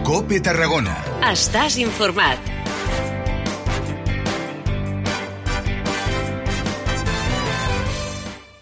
COPE Tarragona. Estàs informat.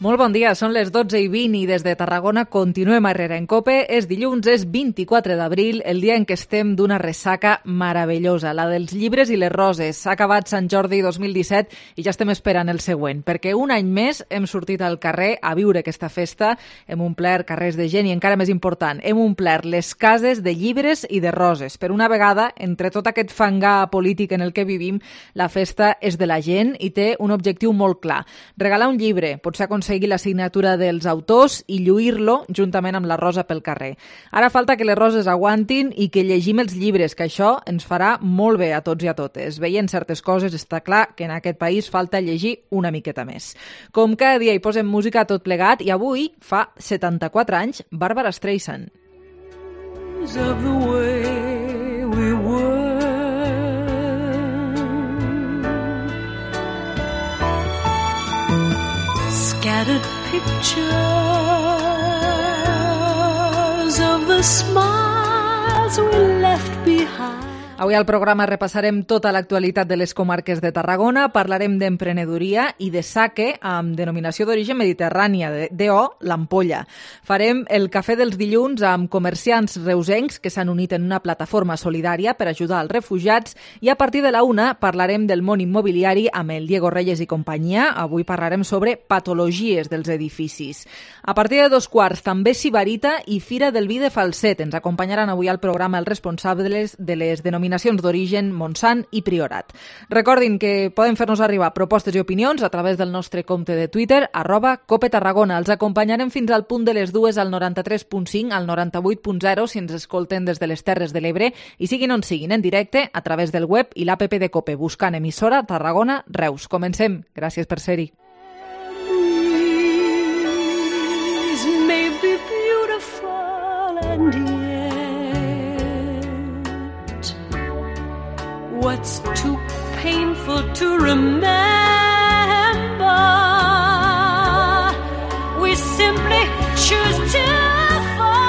Molt bon dia, són les 12:20 i des de Tarragona continuem a Herrera en COPE. És dilluns, és 24 d'abril, el dia en què estem d'una ressaca meravellosa, la dels llibres i les roses. S'ha acabat Sant Jordi 2017 i ja estem esperant el següent, perquè un any més hem sortit al carrer a viure aquesta festa, hem omplert carrers de gent i encara més important, hem omplert les cases de llibres i de roses. Per una vegada, entre tot aquest fangar polític en el que vivim, la festa és de la gent i té un objectiu molt clar. Regalar un llibre, potser aconseguir la signatura dels autors i lluir-lo juntament amb la rosa pel carrer. Ara falta que les roses aguantin i que llegim els llibres, que això ens farà molt bé a tots i a totes. Veient certes coses està clar que en aquest país falta llegir una miqueta més. Com cada dia hi posem música a tot plegat i avui, fa 74 anys, Barbara Streisand. Of the way we were. Scattered pictures of the smiles we left behind. Avui al programa repassarem tota l'actualitat de les comarques de Tarragona, parlarem d'emprenedoria i de saque amb denominació d'origen mediterrània, D.O. l'Ampolla. Farem el cafè dels dilluns amb comerciants reusencs que s'han unit en una plataforma solidària per ajudar als refugiats i a partir de la 1 parlarem del món immobiliari amb el Diego Reyes i companyia. Avui parlarem sobre patologies dels edificis. A partir de 2:15 també Sibarita i Fira del Vi de Falset. Ens acompanyaran avui al programa els responsables de les denominacions d'origen Montsant i Priorat. Recordin que poden fer-nos arribar propostes i opinions a través del nostre compte de Twitter, @COPETarragona. Els acompanyarem fins al punt de les 2 al 93.5, al 98.0 si ens escolten des de les Terres de l'Ebre i siguin on siguin en directe a través del web i l'APP de COPE, buscant emissora Tarragona Reus. Comencem. Gràcies per ser-hi. May be beautiful and yet what's too painful to remember, we simply choose to forget.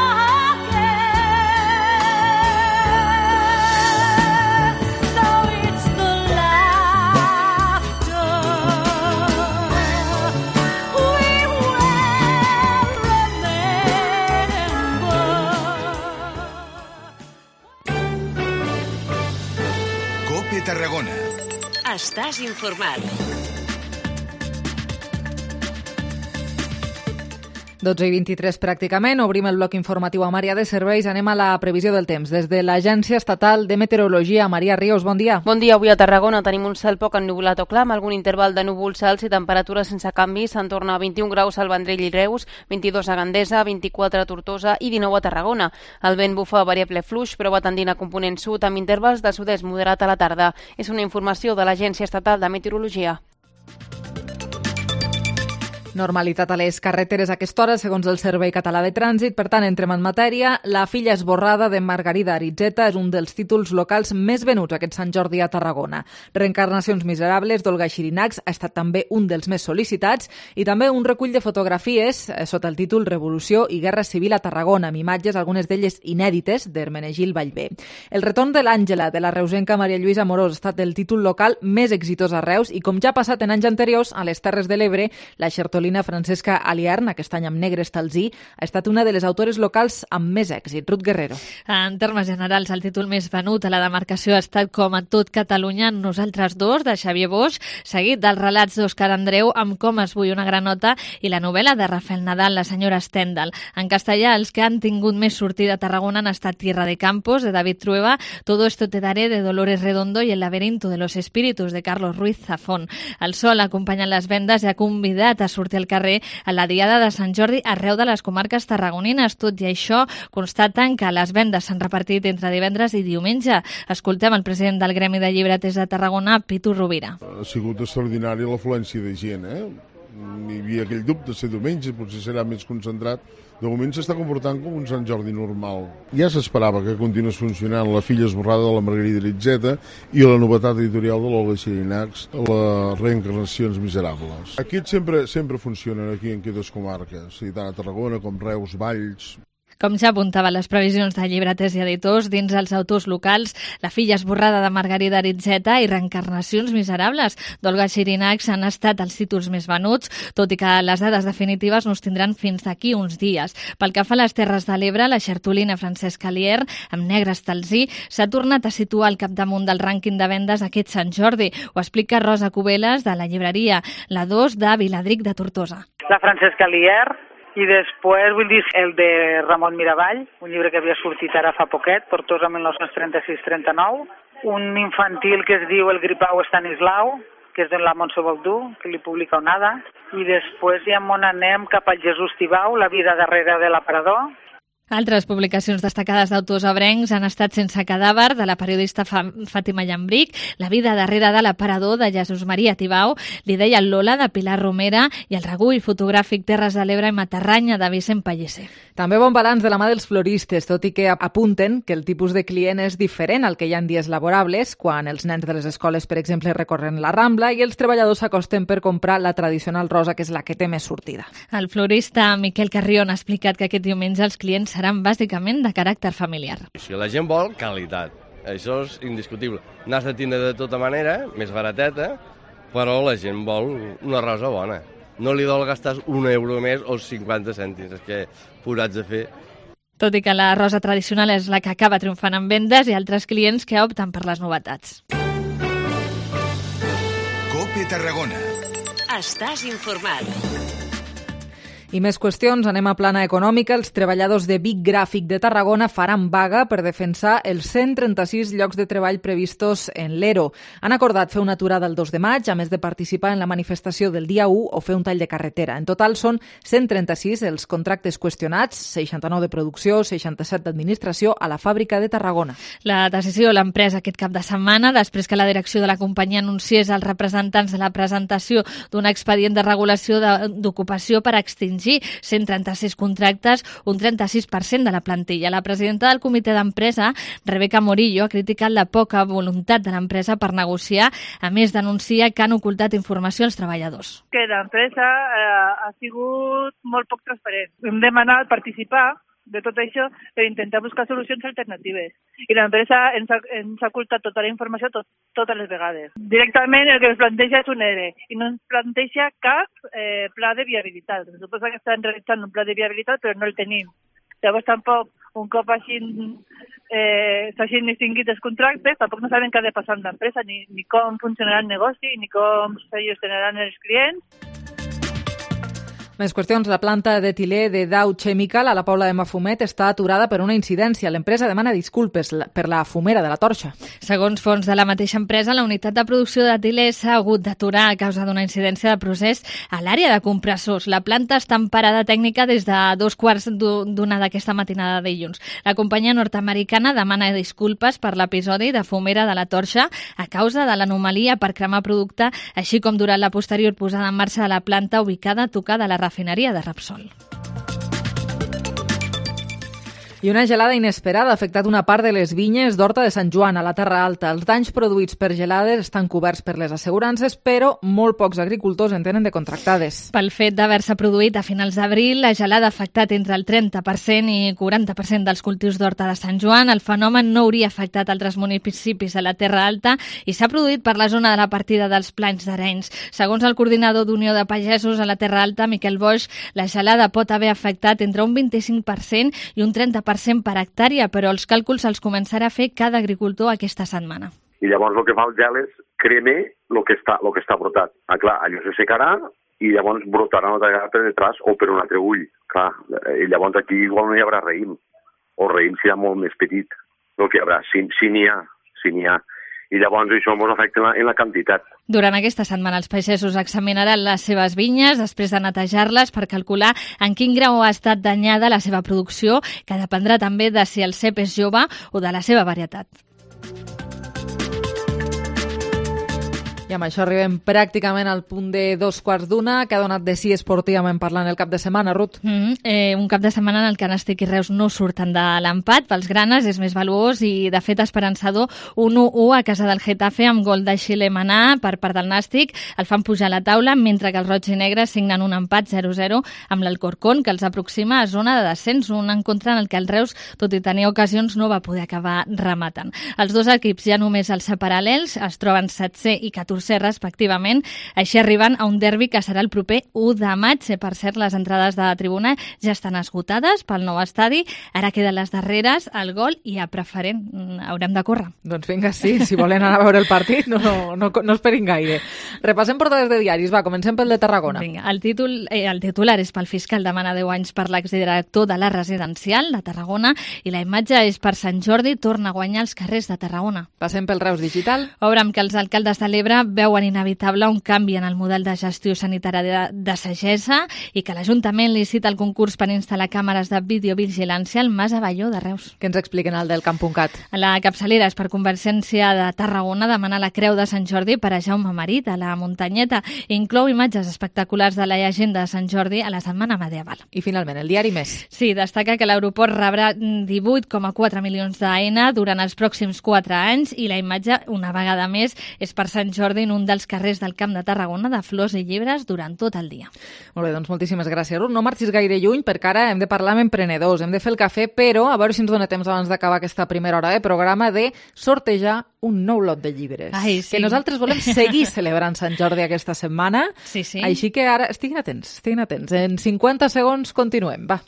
So it's the laughter we will remember. COPE Tarragona. Estàs informat. 12:23 pràcticament, obrim el bloc informatiu amb àrea de serveis, anem a la previsió del temps. Des de l'Agència Estatal de Meteorologia, Maria Ríos, bon dia. Bon dia, avui a Tarragona tenim un cel poc ennuvolat o clar, amb algun interval de núvols alts i temperatures sense canvis, en torna a 21 graus al Vendrell i Reus, 22 a Gandesa, 24 a Tortosa i 19 a Tarragona. El vent bufa variable fluix, però va tendint a component sud amb intervals de sud-est moderat a la tarda. És una informació de l'Agència Estatal de Meteorologia. Normalitat a les carreteres a aquesta hora, segons el Servei Català de Trànsit. Per tant, entrem en matèria. La filla esborrada de Margarida Aritzeta és un dels títols locals més venuts aquest Sant Jordi a Tarragona. Reencarnacions miserables d'Olga Xirinacs ha estat també un dels més sol·licitats i també un recull de fotografies sota el títol Revolució i Guerra Civil a Tarragona, amb imatges, algunes d'elles inèdites, d'Hermenegil Vallvé. El retorn de l'Àngela, de la reusenca Maria Lluïsa Amorós, ha estat el títol local més exitós a Reus i, com ja ha passat en anys anteriors, a les Terres de l'Ebre, la xertolina Francesca Aliern, aquest any amb Negre Estalzí, ha estat una de les autores locals amb més èxit. Ruth Guerrero. En termes generals, el títol més venut a la demarcació ha estat Com a tot Catalunya, Nosaltres dos, de Xavier Boix, seguit dels relats d'Òscar Andreu amb Com es vull una granota i la novel·la de Rafael Nadal, La senyora Stendhal. En castellà, els que han tingut més sortida a Tarragona han estat Tierra de Campos, de David Trueba, Todo esto te daré, de Dolores Redondo i El laberinto de los espíritus, de Carlos Ruiz Zafón. El sol acompanya les vendes i ha convidat a sortir al carrer a la diada de Sant Jordi arreu de les comarques tarragonines. Tot i això, constaten que les vendes s'han repartit entre divendres i diumenge. Escoltem el president del Gremi de Llibreters de Tarragona, Pitu Rovira. Ha sigut extraordinària l'afluència de gent, Hi havia aquell dubte de ser diumenge, potser serà més concentrat. De moment s'està comportant com un Sant Jordi normal. Ja s'esperava que continués funcionant La filla esborrada de la Margarida Aritzeta i la novetat editorial de l'Olga Xirinacs, les reencarnacions miserables. Aquests sempre funcionen aquí en aquestes comarques, tant a Tarragona com Reus, Valls. Com ja apuntaven les previsions de llibreters i editors, dins els autors locals, La filla esborrada de Margarida Aritzeta i Reencarnacions miserables d'Olga Xirinacs han estat els títols més venuts, tot i que les dades definitives no es tindran fins d'aquí uns dies. Pel que fa a les Terres de l'Ebre, la xertolina Francesc Alier, amb Negre Estalzí, s'ha tornat a situar al capdamunt del rànquing de vendes aquest Sant Jordi. Ho explica Rosa Cubeles, de la llibreria La 2 de Viladric de Tortosa. La Francesc Alier i després, vull dir, el de Ramon Miravall, un llibre que havia sortit ara fa poquet, Tortosa 1936-39, un infantil que es diu El gripau Estanislau, que és de la Montse Baldú, que li publica Onada, i després ja on anem cap al Jesús Tibau, La vida darrere de l'aparador. Altres publicacions destacades d'autors ebrencs han estat Sense cadàver, de la periodista Fàtima Llambric, La vida darrere de l'aparador, de Jesús Maria Tibau, L'idea Lola, de Pilar Romera, i el recull fotogràfic Terres de l'Ebre i Matarranya, de Vicent Pellicer. També bon balanç de la mà dels floristes, tot i que apunten que el tipus de client és diferent al que hi ha en dies laborables, quan els nens de les escoles, per exemple, recorren la Rambla i els treballadors s'acosten per comprar la tradicional rosa, que és la que té més sortida. El florista Miquel Carrion ha explicat que aquest diumenge els clients seran bàsicament de caràcter familiar. Si la gent vol qualitat, això és indiscutible. N'has de tindre de tota manera, més barateta, però la gent vol una rosa bona. No li dol gastar €1 més o 50 cèntims, és que posats a fer. Tot i que la rosa tradicional és la que acaba triomfant en vendes, hi ha altres clients que opten per les novetats. COPE Tarragona. Estàs informat. I més qüestions, anem a plana econòmica. Els treballadors de Vic Gràfic de Tarragona faran vaga per defensar els 136 llocs de treball previstos en l'ERO. Han acordat fer una aturada el 2 de maig, a més de participar en la manifestació del dia 1 o fer un tall de carretera. En total són 136 els contractes qüestionats, 69 de producció, 67 d'administració a la fàbrica de Tarragona. La decisió l'han pres aquest cap de setmana, després que la direcció de la companyia anunciés als representants de la presentació d'un expedient de regulació d'ocupació per extingir 136 contractes, un 36% de la plantilla. La presidenta del comitè d'empresa, Rebeca Morillo, ha criticat la poca voluntat de l'empresa per negociar, a més denuncia que han ocultat informació als treballadors. Que l'empresa ha sigut molt poc transparent. Hem demanat participar de tot això per intentar buscar solucions alternatives. I l'empresa ens ha ocultat tota la informació totes les vegades. Directament el que ens planteja és un ERE i no ens planteja cap pla de viabilitat. Se suposa que estan realitzant un pla de viabilitat però no el tenim. Llavors tampoc, un cop així s'hagin extingit els contractes, tampoc no saben què ha de passar amb l'empresa, ni com funcionarà el negoci, ni com se gestionaran els clients. Més qüestions. La planta d'etilè de Dow Chemical a la Pobla de Mafumet està aturada per una incidència. L'empresa demana disculpes per la fumera de la torxa. Segons fons de la mateixa empresa, la unitat de producció d'etilè s'ha hagut d'aturar a causa d'una incidència de procés a l'àrea de compressors. La planta està en parada tècnica des de 2:15 d'aquesta matinada de dilluns. La companyia nord-americana demana disculpes per l'episodi de fumera de la torxa a causa de l'anomalia per cremar producte, així com durant la posterior posada en marxa de la planta ubicada a tocar de la refineria de Repsol. I una gelada inesperada ha afectat una part de les vinyes d'Horta de Sant Joan, a la Terra Alta. Els danys produïts per gelades estan coberts per les assegurances, però molt pocs agricultors en tenen de contractades. Pel fet d'haver-se produït a finals d'abril, la gelada ha afectat entre el 30% i 40% dels cultius d'Horta de Sant Joan. El fenomen no hauria afectat altres municipis de la Terra Alta i s'ha produït per la zona de la partida dels Plans d'Arenys. Segons el coordinador d'Unió de Pagesos a la Terra Alta, Miquel Boix, la gelada pot haver afectat entre un 25% i un 30% per hectàrea, però els càlculs els començarà a fer cada agricultor aquesta setmana. I llavors el que fa el gel és creme el que està brotat. Clar, allò se secarà i llavors brotarà una altra vegada per detrás o per un altre ull. Clar, i llavors aquí igual no hi haurà raïm, o raïm serà molt més petit del que hi haurà, si n'hi ha. I llavors això ens afecta en la quantitat. Durant aquesta setmana els pagesos examinaran les seves vinyes després de netejar-les per calcular en quin grau ha estat danyada la seva producció, que dependrà també de si el cep és jove o de la seva varietat. I amb això arribem pràcticament al punt de 2:15, que ha donat de si esportivament parlant el cap de setmana, Ruth. Un cap de setmana en el que Nàstic i Reus no surten de l'empat. Pels granes és més valuós i, de fet, esperançador. 1-1 a casa del Getafe amb gol de Xile Manà per part del Nàstic. El fan pujar a la taula, mentre que els roig i negres signen un empat 0-0 amb l'Alcorcón, que els aproxima a zona de descens, un encontre en el que el Reus, tot i tenir ocasions, no va poder acabar rematant. Els dos equips ja només els paral·lels es troben 7è i 14è respectivament. Així arriben a un derbi que serà el proper 1 de maig. Per cert, les entrades de tribuna ja estan esgotades pel nou estadi. Ara queden les darreres, el gol i a preferent. Haurem de córrer. Doncs vinga, sí, si volen anar a veure el partit no esperin gaire. Repassem portades de diaris, va, comencem pel de Tarragona. Vinga, el titular és pel fiscal demana 10 anys per l'exdirector de la residencial de Tarragona i la imatge és per Sant Jordi torna a guanyar els carrers de Tarragona. Passem pel Reus Digital. Obre amb que els alcaldes de l'Ebre veuen inevitable un canvi en el model de gestió sanitària de Sagessa i que l'Ajuntament licita el concurs per instal·lar càmeres de videovigilància al Mas Avelló de Reus. Que ens expliquen el del Camp.cat. La capçalera és per Convergència de Tarragona demanar la Creu de Sant Jordi per a Jaume Marit a la muntanyeta. Inclou imatges espectaculars de la llegenda de Sant Jordi a la setmana medieval. I finalment, el diari Més. Sí, destaca que l'aeroport rebrà 18,4 milions d'AENA durant els pròxims 4 anys i la imatge, una vegada més, és per Sant Jordi en un dels carrers del Camp de Tarragona de flors i llibres durant tot el dia. Molt bé, doncs moltíssimes gràcies, Ruth. No marxis gaire lluny perquè ara hem de parlar amb emprenedors, hem de fer el cafè, però a veure si ens dona temps abans d'acabar aquesta primera hora de programa de sortejar un nou lot de llibres. Ai, sí. Que nosaltres volem seguir celebrant Sant Jordi aquesta setmana. Sí, sí. Així que ara estiguin atents. En 50 segons continuem, va.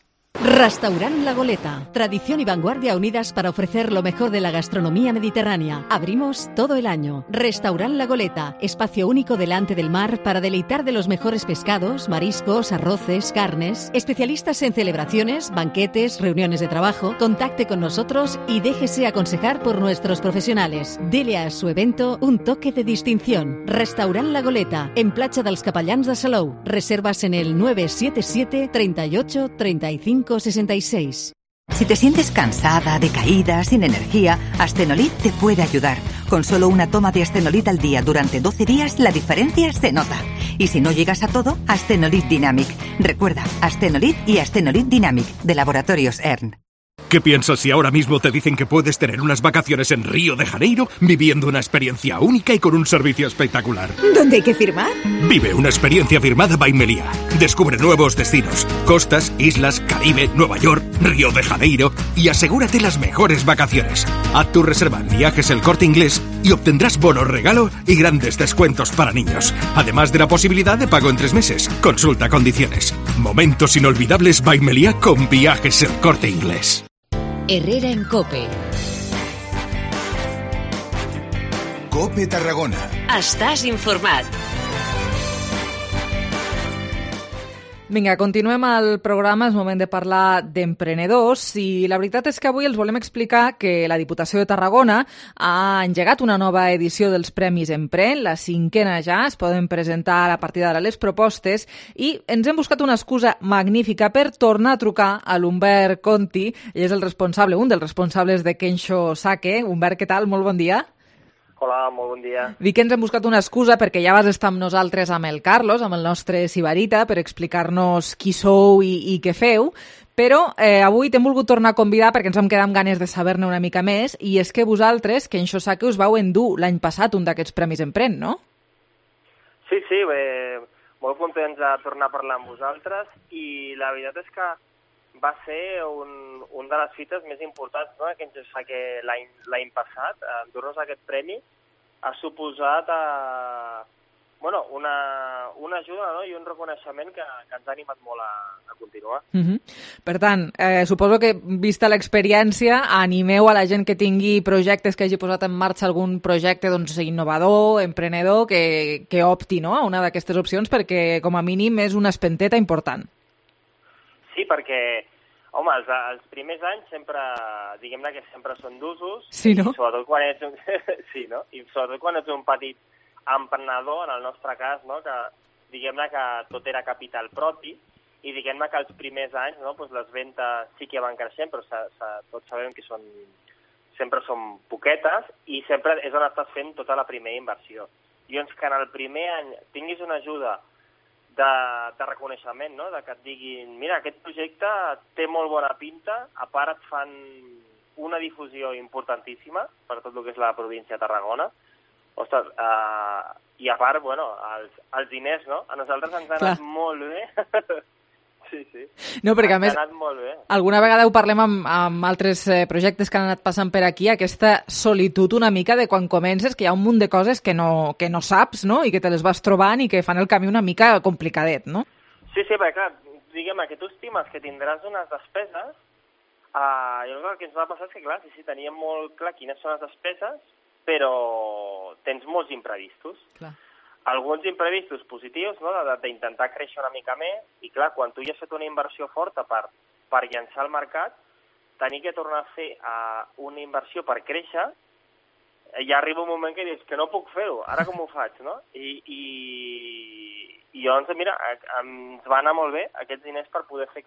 Restaurant La Goleta. Tradición y vanguardia unidas para ofrecer lo mejor de la gastronomía mediterránea. Abrimos todo el año. Restaurant La Goleta. Espacio único delante del mar para deleitar de los mejores pescados, mariscos, arroces, carnes. Especialistas en celebraciones, banquetes, reuniones de trabajo. Contacte con nosotros y déjese aconsejar por nuestros profesionales. Dele a su evento un toque de distinción. Restaurant La Goleta. En Platja dels Capellans de Salou. Reservas en el 977 38 35 66. Si te sientes cansada, decaída, sin energía, Astenolit te puede ayudar. Con solo una toma de Astenolit al día durante 12 días, la diferencia se nota. Y si no llegas a todo, Astenolit Dynamic. Recuerda, Astenolit y Astenolit Dynamic, de Laboratorios ERN. ¿Qué piensas si ahora mismo te dicen que puedes tener unas vacaciones en Río de Janeiro viviendo una experiencia única y con un servicio espectacular? ¿Dónde hay que firmar? Vive una experiencia firmada by Meliá. Descubre nuevos destinos, costas, islas, Caribe, Nueva York, Río de Janeiro y asegúrate las mejores vacaciones. Haz tu reserva en Viajes El Corte Inglés y obtendrás bonos regalo y grandes descuentos para niños. Además de la posibilidad de pago en 3 meses. Consulta condiciones. Momentos inolvidables by Meliá con Viajes El Corte Inglés. Herrera en COPE. COPE Tarragona. Estàs informat. Vinga, continuem el programa, és moment de parlar d'emprenedors i la veritat és que avui els volem explicar que la Diputació de Tarragona ha engegat una nova edició dels Premis Empren, la 5a ja, es poden presentar a partir d'ara les propostes i ens hem buscat una excusa magnífica per tornar a trucar a l'Humbert Conti, ell és el responsable, un dels responsables de Kensho Sake. Humbert, què tal? Molt bon dia. Hola, molt bon dia. Dic que ens hem buscat una excusa perquè ja vas estar amb nosaltres, amb el Carlos, amb el nostre Sibarita, per explicar-nos qui sou i què feu, però avui t'hem volgut tornar a convidar perquè ens vam quedar amb ganes de saber-ne una mica més, i és que vosaltres, Kensho Sake, us vau endur l'any passat un d'aquests Premis Empren, no? Sí, molt contents de tornar a parlar amb vosaltres i la veritat és que va ser un de les fites més importants, no? Que ens fa que l'any passat, endur-nos aquest premi, ha suposat una ajuda, no? I un reconeixement que ens ha animat molt a continuar. Per tant, suposo que, vista l'experiència, animeu a la gent que tingui projectes, que hagi posat en marxa algun projecte innovador, emprenedor, que opti, no? A una d'aquestes opcions, perquè com a mínim és una espenteta important. Sí, perquè, home, els primers anys sempre, diguem-ne que sempre són d'usos. Sí, no? I sobretot quan ets un petit emprenedor, en el nostre cas, no? Que diguem-ne que tot era capital propi, i diguem-ne que els primers anys, no? Pues les ventes sí que van creixent, però tots sabem que sempre són poquetes, i sempre és on estàs fent tota la primera inversió. I llavors que en el primer any tinguis una ajuda de reconeixement, no? De que et diguin, mira, aquest projecte té molt bona pinta, a part et fan una difusió importantíssima per tot el que és la província de Tarragona. Ostres, i a part, bueno, els diners, no? A nosaltres ens ha anat molt bé. Sí. No, perquè a més, molt bé. alguna vegada ho parlem amb altres projectes que han anat passant per aquí, aquesta solitud una mica de quan comences, que hi ha un munt de coses que no saps, no?, i que te les vas trobant i que fan el camí una mica complicadet, no? Sí, perquè clar, diguem que tu estimes que tindràs unes despeses, llavors el que ens va passar és que, clar, sí, teníem molt clar quines són les despeses, però tens molts imprevistos. Clar. Alguns imprevistos positius, no?, d'intentar créixer una mica més, i clar, quan tu ja has fet una inversió forta per llançar al mercat, tenir que tornar a fer una inversió per créixer, ja arriba un moment que dius que no puc fer-ho, ara com ho faig, no? I llavors, mira, ens va anar molt bé aquests diners per poder fer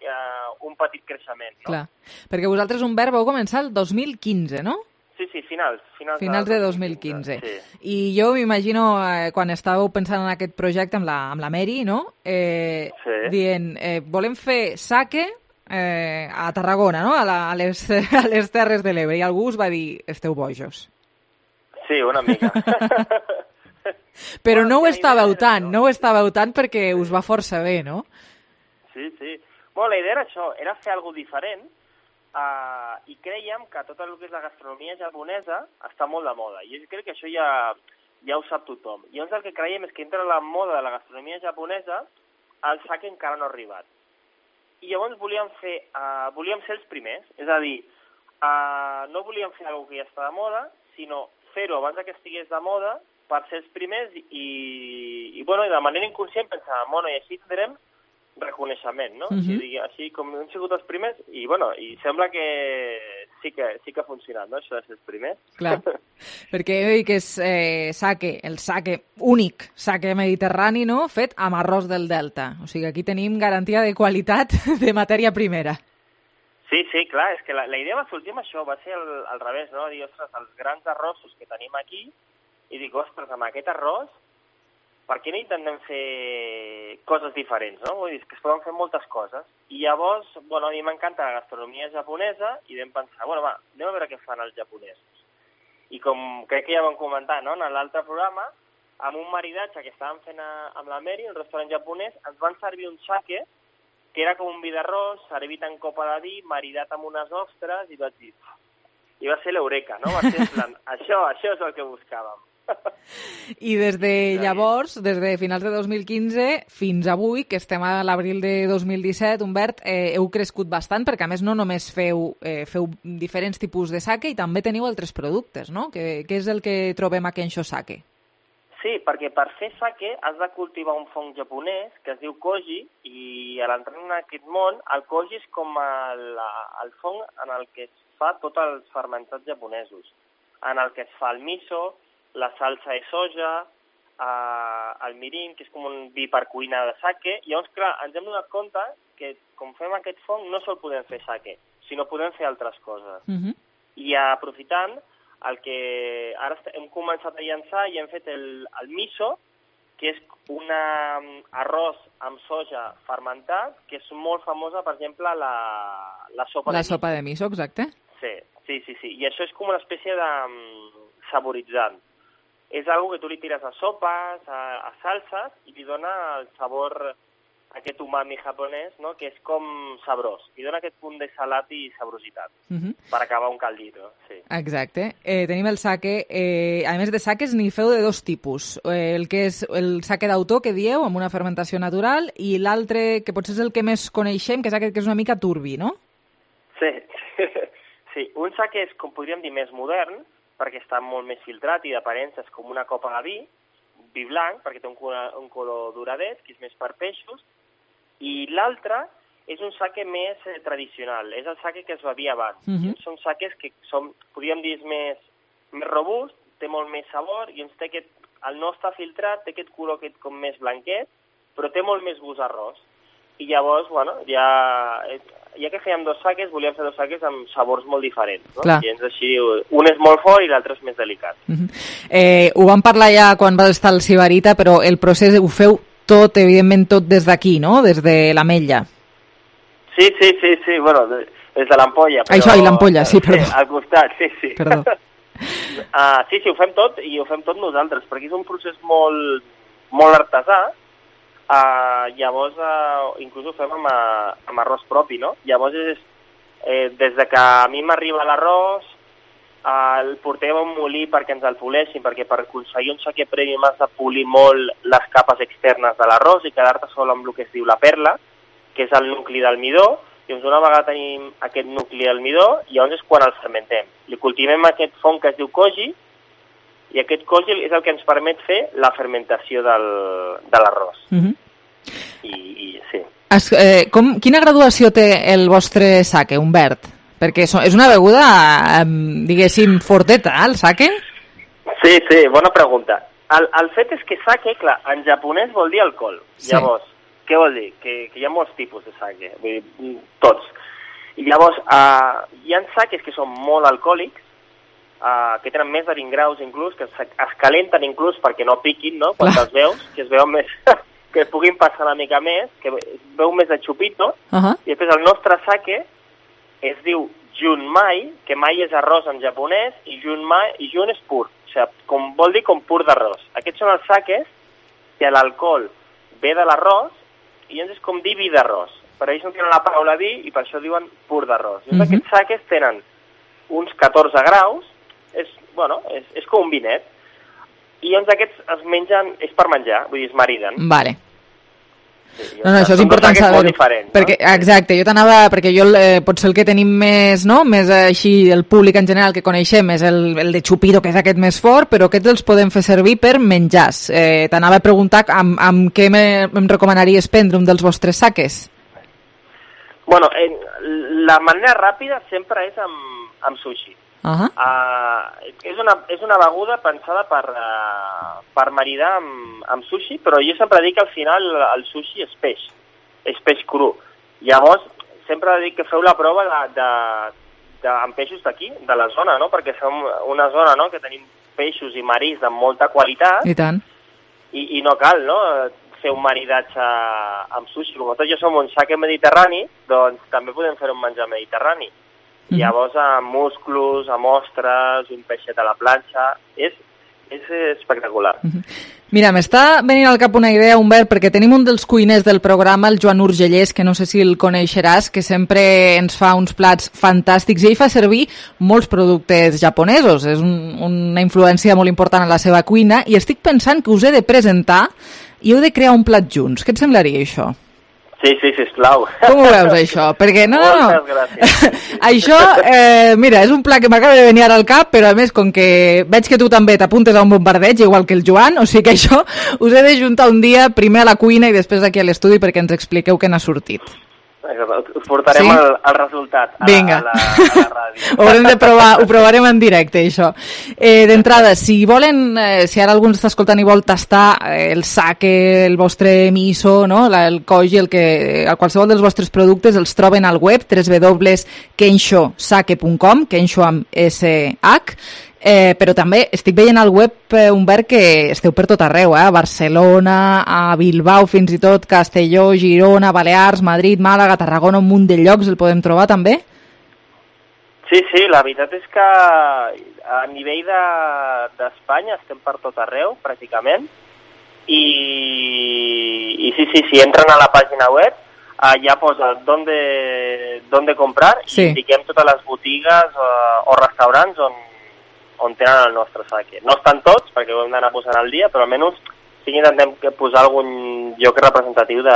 un petit creixement, no? Clar, perquè vosaltres, Humbert, vau començar el 2015, no? Sí, finals de 2015. Sí. I jo m'imagino, quan estàveu pensant en aquest projecte amb la Mary, no? Dient, volem fer saque a Tarragona, no? A les Terres de l'Ebre. I algú us va dir, esteu bojos. Sí, una mica. Però no ho estàveu tant perquè us va força bé, no? Sí. Bueno, la idea era això, era fer alguna cosa diferent, i creiem que tot el que és la gastronomia japonesa està molt de moda, i jo crec que això ja ho sap tothom. I llavors el que creiem és que entre la moda de la gastronomia japonesa el sake encara no ha arribat. I llavors volíem ser els primers, és a dir, no volíem fer alguna cosa que ja està de moda, sinó fer-ho abans que estigués de moda per ser els primers i de manera inconscient pensàvem, bueno, i així tindrem reconeixement, no? Així com hem sigut els primers i sembla que sí que ha funcionat, no? Això de ser els primers. Clar, perquè oi que és el sake únic, sake mediterrani, no?, fet amb arròs del Delta. O sigui, aquí tenim garantia de qualitat de matèria primera. Sí, clar, és que la idea va sortir amb això, va ser al revés, no? Dir, ostres, els grans arrossos que tenim aquí, i dic, ostres, amb aquest arròs per què no intentem fer coses diferents, no? Vull dir, que es poden fer moltes coses. I llavors, a mi m'encanta la gastronomia japonesa i vam pensar, anem a veure què fan els japonesos. I com crec que ja vam comentar, no?, en l'altre programa, amb un maridatge que estàvem fent amb la Mary, un restaurant japonès, ens van servir un sake que era com un vi d'arròs, servit en copa de vi, maridat amb unes ostres, i vaig dir... I va ser l'eureka, no? Va ser en plan, això és el que buscàvem. I des de llavors, des de finals de 2015 fins avui, que estem a l'abril de 2017, Humbert, heu crescut bastant, perquè a més no només feu diferents tipus de sake i també teniu altres productes, no? Què és el que trobem a Kensho Sake? Sí, perquè per fer sake has de cultivar un fong japonès que es diu koji, i a l'entrar en aquest món, el koji és com el fong en el que es fa tots els fermentats japonesos, en el que es fa el miso, la salsa de soja, el mirin, que és com un vi per cuina de sake. I llavors, clar, ens hem donat compte que, com fem aquest fong, no sol podem fer sake, sinó podem fer altres coses. I aprofitant, el que ara hem començat a llançar i hem fet el miso, que és un arròs amb soja fermentat, que és molt famosa, per exemple, la sopa de miso. La sopa de miso, exacte. Sí. I això és com una espècie de saboritzant. És algo que tu li tires a sopes, a salses, i li dona el sabor, aquest umami japonès, no?, que és com sabrós. Li dona aquest punt de salat i sabrositat, per acabar un caldito. Sí. Exacte. Tenim el sake. A més de sakes, n'hi feu de dos tipus. El que és el sake d'autor, que dieu, amb una fermentació natural, i l'altre, que potser és el que més coneixem, que és aquest que és una mica turbi, no? Sí. Un sake és, com podríem dir, més modern, perquè està molt més filtrat i d'aparença és com una copa de vi blanc, perquè té un color doradet, que és més per peixos, i l'altre és un sake més tradicional, és el sake que es bevia abans. Són sakes que són, podríem dir, més robust, té molt més sabor, i el no està filtrat, té aquest color com més blanquet, però té molt més gust arròs. I llavors, ja ja que fèiem 2 saques, volíem fer 2 saques amb sabors molt diferents, no? Clar. I així, un és molt fort i l'altre és més delicat. Ho vam parlar ja quan va estar al Sibarita, però el procés ho feu tot, evidentment, tot des d'aquí, no? Des de l'Ametlla. Sí, bueno, des de l'Ampolla. Això, i l'Ampolla, sí, perdó. Al costat, sí. Perdó. Sí, ho fem tot, i ho fem tot nosaltres, perquè és un procés molt artesà. Llavors, inclús ho fem amb arròs propi, no? Llavors, des de que a mi m'arriba l'arròs, el portem a un molí perquè ens el poleixin, perquè per aconseguir un saquer prèmium has de polir molt les capes externes de l'arròs i quedar-te sol amb el que es diu la perla, que és el nucli d'almidó. Llavors, una vegada tenim aquest nucli d'almidó, llavors és quan el fermentem. Li cultivem aquest fong que es diu koji, i aquest koji és el que ens permet fer la fermentació de l'arròs. I sí. Quina graduació té el vostre sake, Humbert? Perquè és una beguda, diguéssim, forteta, el sake? Sí, bona pregunta. El fet és que sake, clar, en japonès vol dir alcohol. Sí. Llavors, què vol dir? Que hi ha molts tipus de sake, vull dir, tots. I llavors, hi ha sakes que són molt alcohòlics, que tenen més de 20 graus inclús, que es calenten inclús perquè no piquin, no? Quan els veus, que es veuen més, que es puguin passar una mica més, que es veu més de xupito, i després el nostre sake es diu junmai, que mai és arròs en japonès, i jun és pur, o sigui, vol dir com pur d'arròs. Aquests són els sakes que l'alcohol ve de l'arròs, i llavors és com dir vi d'arròs. Per ells no tenen la paraula vi i per això diuen pur d'arròs. Aquests sakes tenen uns 14 graus, és com un vinet, i llavors aquests es mengen, és per menjar, vull dir, es mariden. Vale. Sí, no, això és important saber-ho. Perquè, exacte, jo t'anava, perquè jo potser el que tenim més, no? Més així, el públic en general que coneixem és el de xupito, que és aquest més fort, però aquests els podem fer servir per menjars. T'anava a preguntar amb què em recomanaries prendre un dels vostres sakes? Bueno, la manera ràpida sempre és amb sushi. És una beguda pensada per maridar amb sushi, però jo sempre dic que al final el sushi és peix cru. Llavors, sempre dic que feu la prova amb peixos d'aquí, de la zona, no? Perquè som una zona, no?, que tenim peixos i marís de molta qualitat. I tant. I no cal, no?, fer un maridatge amb sushi. Com tot jo som un sake mediterrani, doncs també podem fer un menjar mediterrani. Llavors, amb musclos, amb ostres, un peixet a la planxa, és espectacular. Mira, m'està venint al cap una idea, Humbert, perquè tenim un dels cuiners del programa, el Joan Urgellés, que no sé si el coneixeràs, que sempre ens fa uns plats fantàstics i ell fa servir molts productes japonesos. És una influència molt important en la seva cuina i estic pensant que us he de presentar i heu de crear un plat junts. Què et semblaria això? Sí, sisplau. Com ho veus, això? Perquè no. Moltes gràcies. Això, mira, és un plat que m'acaba de venir ara al cap, però a més, com que veig que tu també t'apuntes a un bombardeig, igual que el Joan, o sigui que això us he de juntar un dia, primer a la cuina i després aquí a l'estudi perquè ens expliqueu què n'ha sortit. Us portarem el resultat a la ràdio. Ho provarem en directe, això. D'entrada, si ara algú està escoltant i vol tastar el sake, el vostre miso, no? El koji, qualsevol dels vostres productes els troben al web www.kenshosake.com, Kensho amb SH, però també estic veient al web, Humbert, que esteu per tot arreu, a Barcelona, a Bilbao, fins i tot Castelló, Girona, Balears, Madrid, Màlaga, Tarragona, un munt de llocs el podem trobar també? Sí, la veritat és que a nivell d'Espanya estem per tot arreu, pràcticament, i si entren a la pàgina web, allà posa donde comprar i indiquem totes les botigues o restaurants on tenen el nostre sake. No estan tots, perquè ho hem d'anar posant al dia, però almenys sí que intentem posar algun lloc representatiu de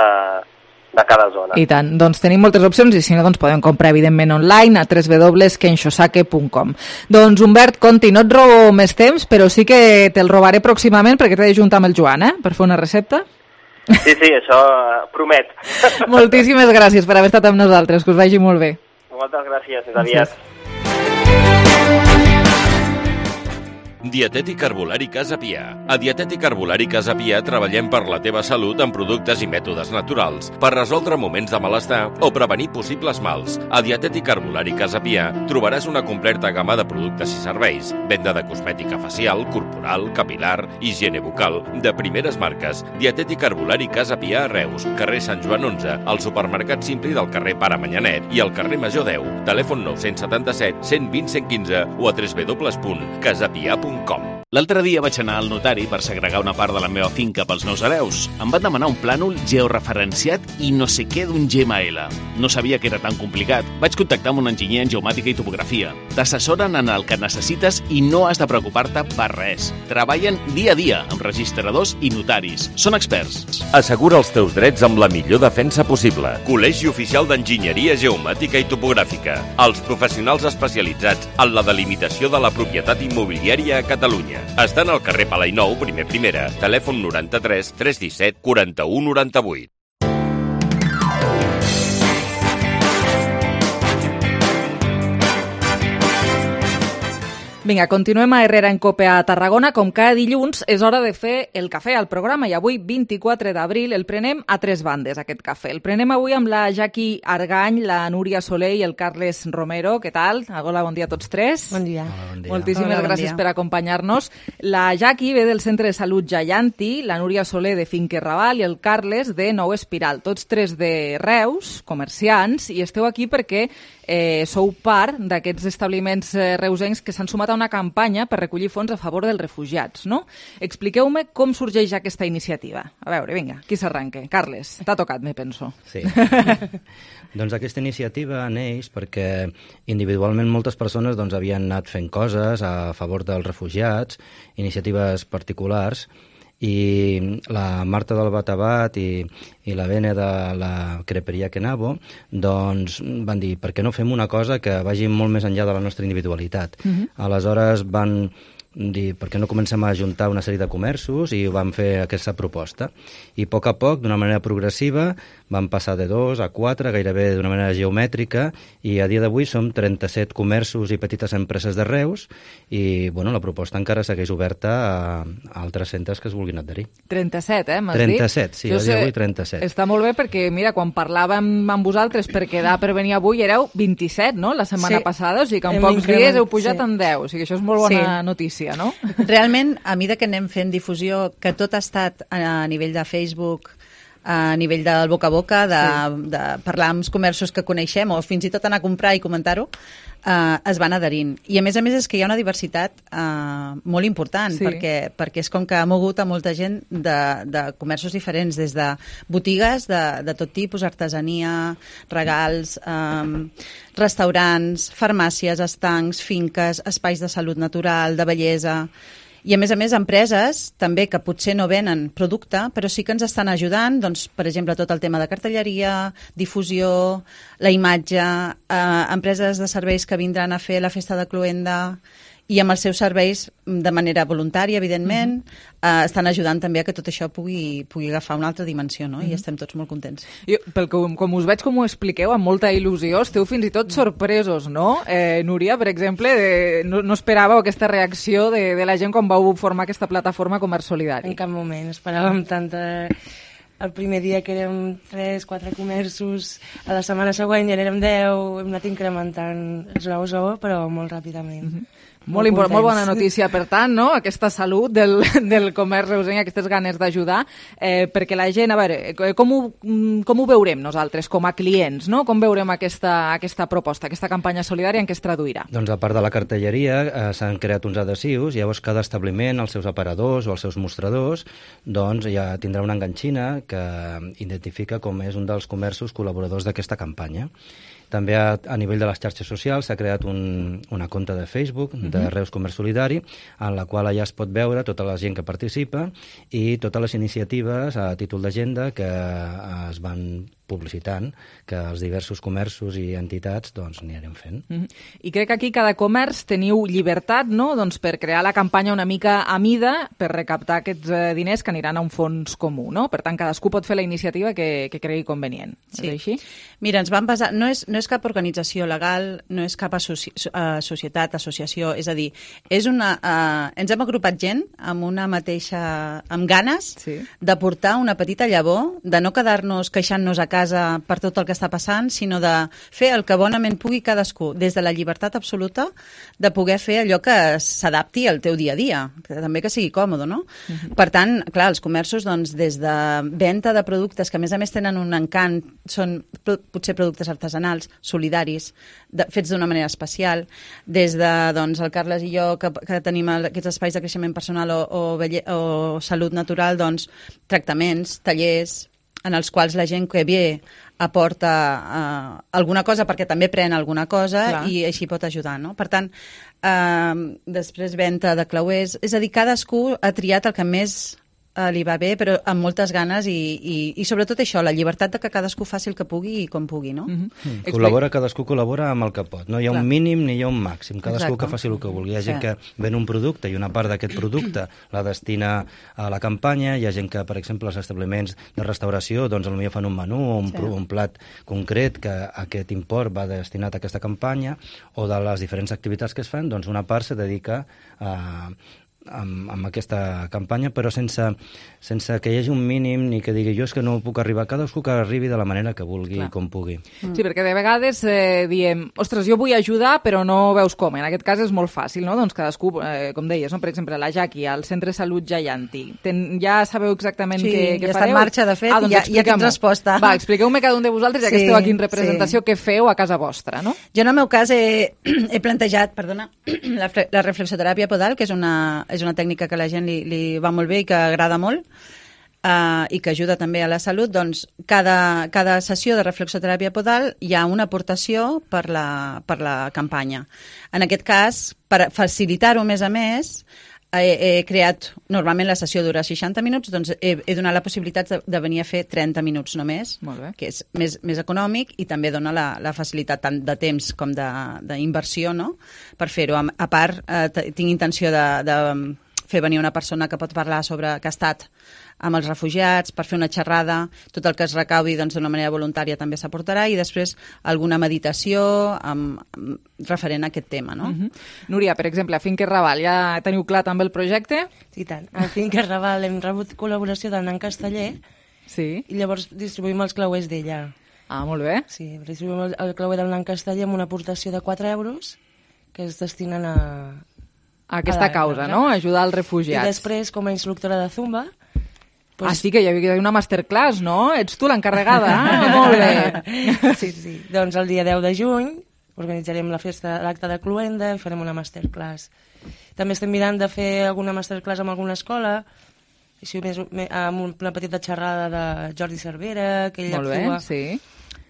cada zona. I tant, doncs tenim moltes opcions i si no, doncs podem comprar evidentment online a www.kenshosake.com. Doncs Humbert, Conti, no et robo més temps, però sí que te'l robaré pròximament perquè t'he de juntar amb el Joan, per fer una recepta. Sí, això promet. Moltíssimes gràcies per haver estat amb nosaltres, que us vagi molt bé. Moltes gràcies, fins aviat. Dietètic Herbolari Casa Pia. A Dietètic Herbolari Casa Pia treballem per la teva salut amb productes i mètodes naturals, per resoldre moments de malestar o prevenir possibles mals. A Dietètic Herbolari Casa Pia trobaràs una completa gamma de productes i serveis, venda de cosmètica facial, corporal, capilar, higiene bucal, de primeres marques. Dietètic Herbolari Casa Pia a Reus, carrer Sant Joan 11, al supermercat Simpli del carrer Pare Manyanet i al carrer Major 10. Telèfon 977 120 115 o a www.casapia.com. L'altre dia vaig anar al notari per segregar una part de la meva finca pels meus hereus. Em van demanar un plànol georreferenciat i no sé què d'un GML. No sabia que era tan complicat. Vaig contactar amb un enginyer en geomàtica i topografia. T'assessoren en el que necessites i no has de preocupar-te per res. Treballen dia a dia amb registradors i notaris. Són experts. Assegura els teus drets amb la millor defensa possible. Col·legi Oficial d'Enginyeria Geomàtica i Topogràfica. Els professionals especialitzats en la delimitació de la propietat immobiliària a Catalunya. Estan al carrer Palainou, primer primera, telèfon 93 317 41 98. Vinga, continuem a Herrera en Cope a Tarragona. Com cada dilluns, és hora de fer el cafè al programa i avui, 24 d'abril, el prenem a tres bandes, aquest cafè. El prenem avui amb la Jaqui Argany, la Núria Soler i el Carles Romero. Què tal? Hola, bon dia a tots tres. Bon dia. Bon dia. Moltíssimes gràcies per acompanyar-nos. La Jaqui ve del Centre de Salut Jayanti, la Núria Soler de Finque Raval i el Carles de Nou Espiral. Tots tres de Reus, comerciants, i esteu aquí perquè sou part d'aquests establiments reusencs que s'han sumat a una campanya per recollir fons a favor dels refugiats, no? Expliqueu-me com sorgeix aquesta iniciativa. A veure, vinga, qui s'arranca? Carles, t'ha tocat, me penso. Sí. Doncs aquesta iniciativa neix perquè individualment moltes persones havien anat fent coses a favor dels refugiats, iniciatives particulars, i la Marta del Batabat i la Bene de la Creperia Kenabo van dir, per què no fem una cosa que vagi molt més enllà de la nostra individualitat? Aleshores van dir, per què no comencem a ajuntar una sèrie de comerços, i van fer aquesta proposta. I a poc, d'una manera progressiva, van passar de 2 a 4, gairebé d'una manera geomètrica, i a dia d'avui som 37 comerços i petites empreses de Reus, i la proposta encara segueix oberta a altres centres que es vulguin adherir. 37, m'has 37, dit? sí, a dia d'avui 37. Està molt bé perquè, mira, quan parlàvem amb vosaltres per quedar per venir avui éreu 27, no?, la setmana passada, o sigui que en pocs dies heu pujat en 10, o sigui que això és molt bona notícia, no? Realment, a mesura que anem fent difusió, que tot ha estat a nivell de Facebook, a nivell del boca a boca, de parlar amb els comerços que coneixem o fins i tot anar a comprar i comentar-ho, es van adherint. I a més és que hi ha una diversitat molt important, perquè és com que ha mogut a molta gent de comerços diferents, des de botigues de tot tipus, artesania, regals, restaurants, farmàcies, estancs, finques, espais de salut natural, de bellesa. I a més empreses també que potser no venen producte, però sí que ens estan ajudant, doncs, per exemple, tot el tema de cartelleria, difusió, la imatge, empreses de serveis que vindran a fer la festa de Cloenda, i amb els seus serveis de manera voluntària, evidentment, estan ajudant també a que tot això pugui agafar una altra dimensió, no? I estem tots molt contents. Com us veig, com ho expliqueu, amb molta il·lusió, esteu fins i tot sorpresos, no? Núria, per exemple, no esperàveu aquesta reacció de la gent quan vau formar aquesta plataforma Comerç Solidari. En cap moment, esperàvem tanta... El primer dia que érem 3-4 comerços, a la setmana següent ja érem 10, hem anat incrementant esglaó, però molt ràpidament. Molt bona notícia, per tant, no? Aquesta salut del comerç reusenc, aquestes ganes d'ajudar, perquè la gent, a veure, com ho veurem nosaltres com a clients, no? Com veurem aquesta proposta, aquesta campanya solidària, en què es traduirà? Doncs a part de la cartelleria s'han creat uns adhesius, llavors cada establiment, els seus aparadors o els seus mostradors, doncs ja tindrà una enganxina que identifica com és un dels comerços col·laboradors d'aquesta campanya. També a nivell de les xarxes socials s'ha creat una compte de Facebook de Reus Comerç Solidari, en la qual allà es pot veure tota la gent que participa i totes les iniciatives a títol d'agenda que es van publicitant, que els diversos comerços i entitats doncs n'hi anem fent. I crec que aquí cada comerç teniu llibertat, no?, doncs per crear la campanya una mica a mida per recaptar aquests diners que aniran a un fons comú, no? Per tant, cadascú pot fer la iniciativa que cregui convenient. Sí. És així? Mira, ens vam basar... No és cap organització legal, no és cap societat, associació, és a dir, és una... ens hem agrupat gent amb una mateixa... amb ganes de portar una petita llavor, de no quedar-nos queixant-nos a casa per tot el que està passant, sinó de fer el que bonament pugui cadascú, des de la llibertat absoluta de poder fer allò que s'adapti al teu dia a dia, que també que sigui còmode, no? Per tant, clar, els comerços, doncs, des de venda de productes que a més tenen un encant, són potser productes artesanals, solidaris, fets d'una manera especial, des de, doncs, el Carles i jo, que tenim aquests espais de creixement personal o salut natural, doncs, tractaments, tallers, en els quals la gent que ve aporta alguna cosa perquè també pren alguna cosa. Clar. I així pot ajudar, no? Per tant, després venda de clauers, és a dir, cadascú ha triat el que més li va bé, però amb moltes ganes i sobretot això, la llibertat de que cadascú faci el que pugui i com pugui, no? Cadascú col·labora amb el que pot. No hi ha un mínim ni hi ha un màxim. Cadascú que faci el que vulgui. Hi ha gent que ven un producte i una part d'aquest producte la destina a la campanya. Hi ha gent que, per exemple, els establiments de restauració, doncs potser fan un menú o un plat concret que aquest import va destinat a aquesta campanya, o de les diferents activitats que es fan, doncs una part se dedica amb aquesta campanya, però sense que hi hagi un mínim ni que digui jo és que no puc arribar, cadascú que arribi de la manera que vulgui i com pugui. Sí, perquè de vegades diem, ostres, jo vull ajudar però no veus com. En aquest cas és molt fàcil, no? Doncs cadascú, com deies, no? Per exemple, la Jaqui, al Centre de Salut Jaianti. Ja sabeu exactament què fareu? Sí, ja està en marxa, de fet, doncs ja tens resposta. Va, expliqueu-me cada un de vosaltres, ja que esteu aquí en representació, què feu a casa vostra, no? Jo, en el meu cas, he plantejat, la reflexoteràpia podal, que és una tècnica que a la gent li va molt bé i que agrada molt, i que ajuda també a la salut. Doncs cada sessió de reflexoteràpia podal hi ha una aportació per la campanya. En aquest cas, per facilitar-ho més a més, he creat, normalment la sessió dura 60 minuts, doncs he donat la possibilitat de venir a fer 30 minuts només, que és més econòmic i també dona la facilitat tant de temps com d'inversió, no?, per fer-ho. A part, tinc intenció de fer venir una persona que pot parlar sobre que ha estat amb els refugiats, per fer una xerrada, tot el que es recaudi d'una manera voluntària també s'aportarà, i després alguna meditació referent a aquest tema, no? Núria, per exemple, a Finques Raval, ja teniu clar també el projecte? Sí, tant. A Finques Raval hem rebut col·laboració del Nan Casteller, i llavors distribuïm els clauers d'ella. Ah, molt bé. Sí, distribuïm el clauer del Nan Casteller amb una aportació de 4 euros que es destinen a aquesta causa, no? Ajudar els refugiats. I després, com a instructora de Zumba... sí, que hi havia una masterclass, no? Ets tu l'encarregada, molt bé. Sí. Doncs el dia 10 de juny organitzarem l'acte de Cluenda i farem una masterclass. També estem mirant de fer alguna masterclass amb alguna escola, així amb una petita xerrada de Jordi Cervera, que ell actua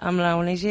amb la ONG,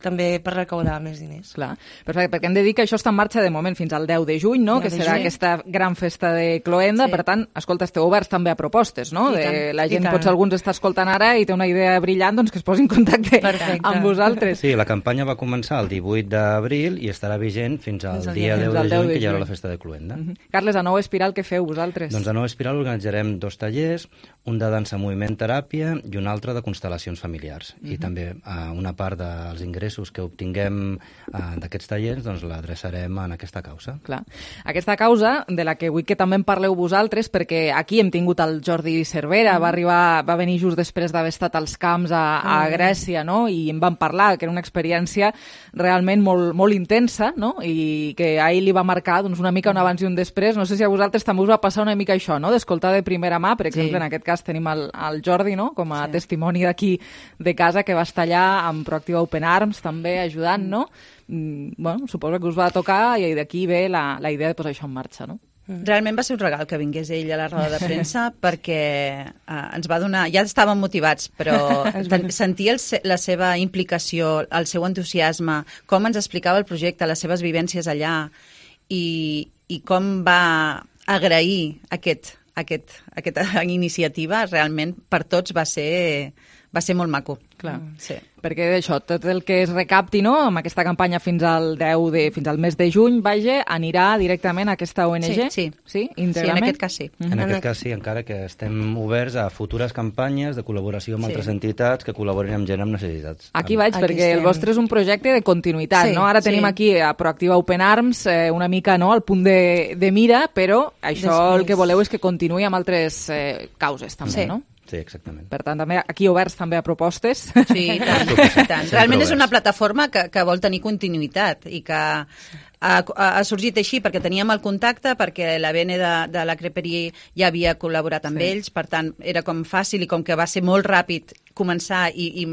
també per recaudar més diners. Clar, perfecte, perquè hem de dir que això està en marxa de moment fins al 10 de juny, no? Que serà aquesta gran festa de Cloenda. Per tant, escolta, esteu oberts també a propostes, no? La gent, potser alguns està escoltant ara i té una idea brillant, doncs que es posi en contacte amb vosaltres. Sí, la campanya va començar el 18 d'abril i estarà vigent fins al dia 10 de juny, que hi haurà la festa de Cloenda. Carles, a Nou Espiral, què feu vosaltres? Doncs a Nou Espiral organitzarem 2 tallers, un de dansa moviment teràpia i un altre de constel·lacions familiars. I també una part dels ingressos que obtinguem d'aquests tallers, doncs l'adreçarem en aquesta causa. Clar. Aquesta causa, de la que vull que també en parleu vosaltres, perquè aquí hem tingut el Jordi Cervera, va venir just després d'haver estat als camps a Grècia, no? I en vam parlar, que era una experiència realment molt, molt intensa, no? I que a ell li va marcar doncs, una mica un abans i un després. No sé si a vosaltres també us va passar una mica això, no? D'escoltar de primera mà, per exemple, en aquest cas tenim el Jordi, no? Com a testimoni d'aquí de casa, que va estar allà amb Proactiva Open Arms també ajudant, no? Bueno, suposo que us va tocar i d'aquí ve la idea de posar això en marxa, no? Realment va ser un regal que vingués ell a la roda de premsa perquè ens va donar... Ja estàvem motivats, però sentir la seva implicació, el seu entusiasme, com ens explicava el projecte, les seves vivències allà i com va agrair aquesta iniciativa, realment per tots va ser va ser molt maco. Clar. Sí. Perquè això, tot el que es recapti, no?, amb aquesta campanya fins al mes de juny, vaja, anirà directament a aquesta ONG? Sí. Íntegrament? En aquest cas sí. En aquest cas sí, encara que estem oberts a futures campanyes de col·laboració amb altres entitats que col·laborin amb gent amb necessitats. Aquí vaig, perquè el vostre és un projecte de continuïtat, Sí, no? Ara tenim aquí a Proactiva Open Arms una mica, no?, al punt de mira, però això el que voleu és que continuï amb altres causes, també, no? Sí, exactament. Per tant, també aquí oberts també a propostes. Sí, i tant. Realment és una plataforma que vol tenir continuïtat i que ha sorgit així perquè teníem el contacte, perquè la BN de la Creperie ja havia col·laborat amb ells, per tant, era com fàcil i com que va ser molt ràpid començar i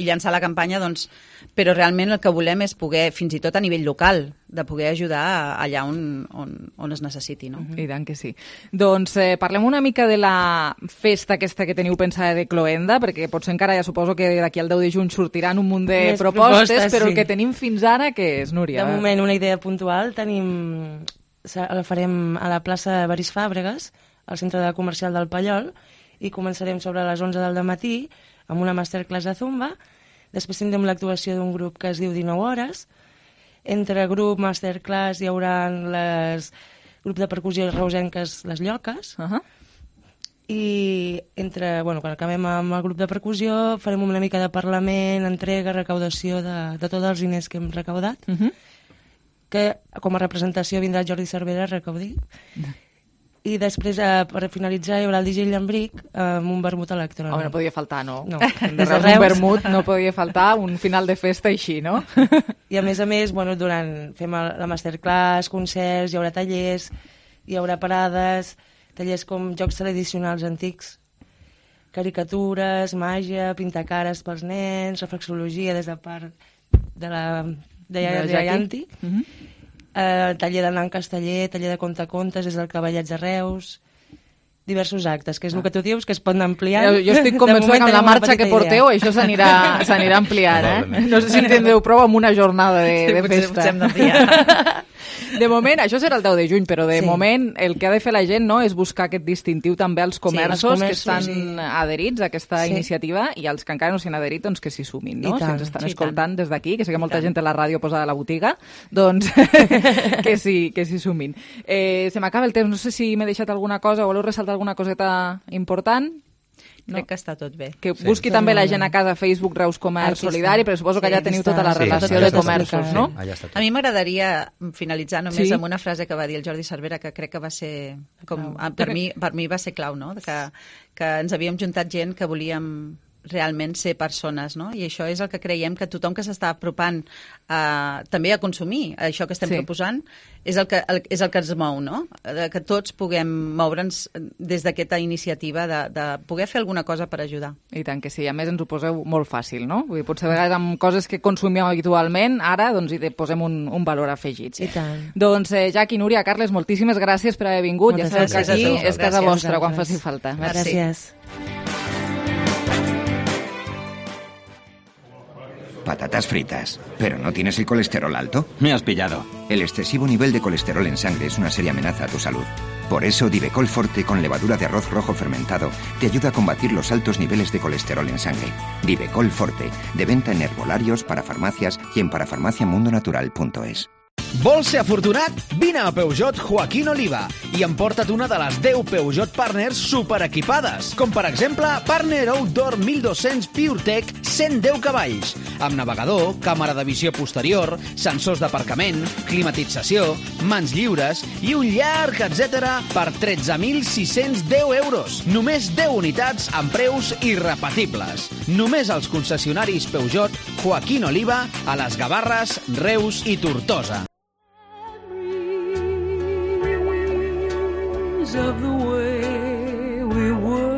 llançar la campanya, doncs, però realment el que volem és poder, fins i tot a nivell local, de poder ajudar allà on es necessiti, no? I tant que sí. Doncs parlem una mica de la festa aquesta que teniu pensada de Cloenda, perquè potser encara ja suposo que d'aquí al 10 de juny sortiran un munt de propostes, però el que tenim fins ara, què és, Núria? De moment, una idea puntual, la farem a la plaça Baris Fàbregas, al centre comercial del Pallol, i començarem sobre les 11 del matí amb una masterclass de Zumba. Després tindrem l'actuació d'un grup que es diu 19 hores. Entre grup, masterclass, hi haurà grup de percussió reusenques, les Lloques. I quan acabem amb el grup de percussió farem una mica de parlament, entrega, recaudació de tots els diners que hem recaudat, que com a representació vindrà Jordi Cervera a recaudir. I després, per finalitzar, hi haurà el DJ Llambric amb un vermut electrònic. Home, no podia faltar, no? No. De Reus, un vermut no podia faltar, un final de festa així, no? I a més, fem la masterclass, concerts, hi haurà tallers, hi haurà parades, tallers com jocs tradicionals antics, caricatures, màgia, pintar cares pels nens, reflexologia des de part de la Yanti, taller de nan casteller, taller de contacontes des del Cavallets de Reus, diversos actes, que és el que tu dius, que es poden ampliar. Jo estic convençuda que amb la marxa que porteu això s'anirà ampliant, eh? No sé si en tindreu prou amb una jornada de festa. Potser hem d'ampliar. De moment, això serà el 10 de juny, però de moment el que ha de fer la gent, no, és buscar aquest distintiu també als comerços que estan adherits a aquesta iniciativa i els que encara no s'hi han adherit, doncs que s'hi sumin, no? Si ens estan escoltant des d'aquí, que sé que molta gent té la ràdio posada a la botiga, doncs que s'hi sumin. Se m'acaba el temps, no sé si m'he deixat alguna cosa o voleu ressaltar alguna coseta important? Crec que està tot bé. Que busqui també la gent a casa a Facebook Reus Comerç Solidari, però suposo que allà teniu tota la relació de comerços, no? A mi m'agradaria finalitzar només amb una frase que va dir el Jordi Cervera, que crec que va ser, per mi va ser clau, no? Que ens havíem juntat gent que volíem realment ser persones, no? I això és el que creiem que tothom que s'està apropant també a consumir això que estem proposant és el que ens mou, no? Que tots puguem moure'ns des d'aquesta iniciativa de poder fer alguna cosa per ajudar. I tant que sí, a més ens ho poseu molt fàcil, no? Vull dir, potser a vegades amb coses que consumíem habitualment, ara doncs hi posem un valor afegit. I tant. Doncs Jacqui, Núria, Carles, moltíssimes gràcies per haver vingut. Ja sabeu que aquí és casa vostra quan faci falta. Gràcies. Patatas fritas. ¿Pero no tienes el colesterol alto? Me has pillado. El excesivo nivel de colesterol en sangre es una seria amenaza a tu salud. Por eso, Divecol Forte con levadura de arroz rojo fermentado te ayuda a combatir los altos niveles de colesterol en sangre. Divecol Forte, de venta en herbolarios, parafarmacias y en parafarmaciamundonatural.es. Vols ser afortunat? Vine a Peugeot Joaquín Oliva i emporta't una de les 10 Peugeot Partners superequipades, com per exemple Partner Outdoor 1200 PureTech 110 cavalls, amb navegador, càmera de visió posterior, sensors d'aparcament, climatització, mans lliures i un llarg etcètera per 13.610 euros. Només 10 unitats amb preus irrepetibles. Només als concessionaris Peugeot Joaquín Oliva a les Gavarres, Reus i Tortosa. Of the way we were.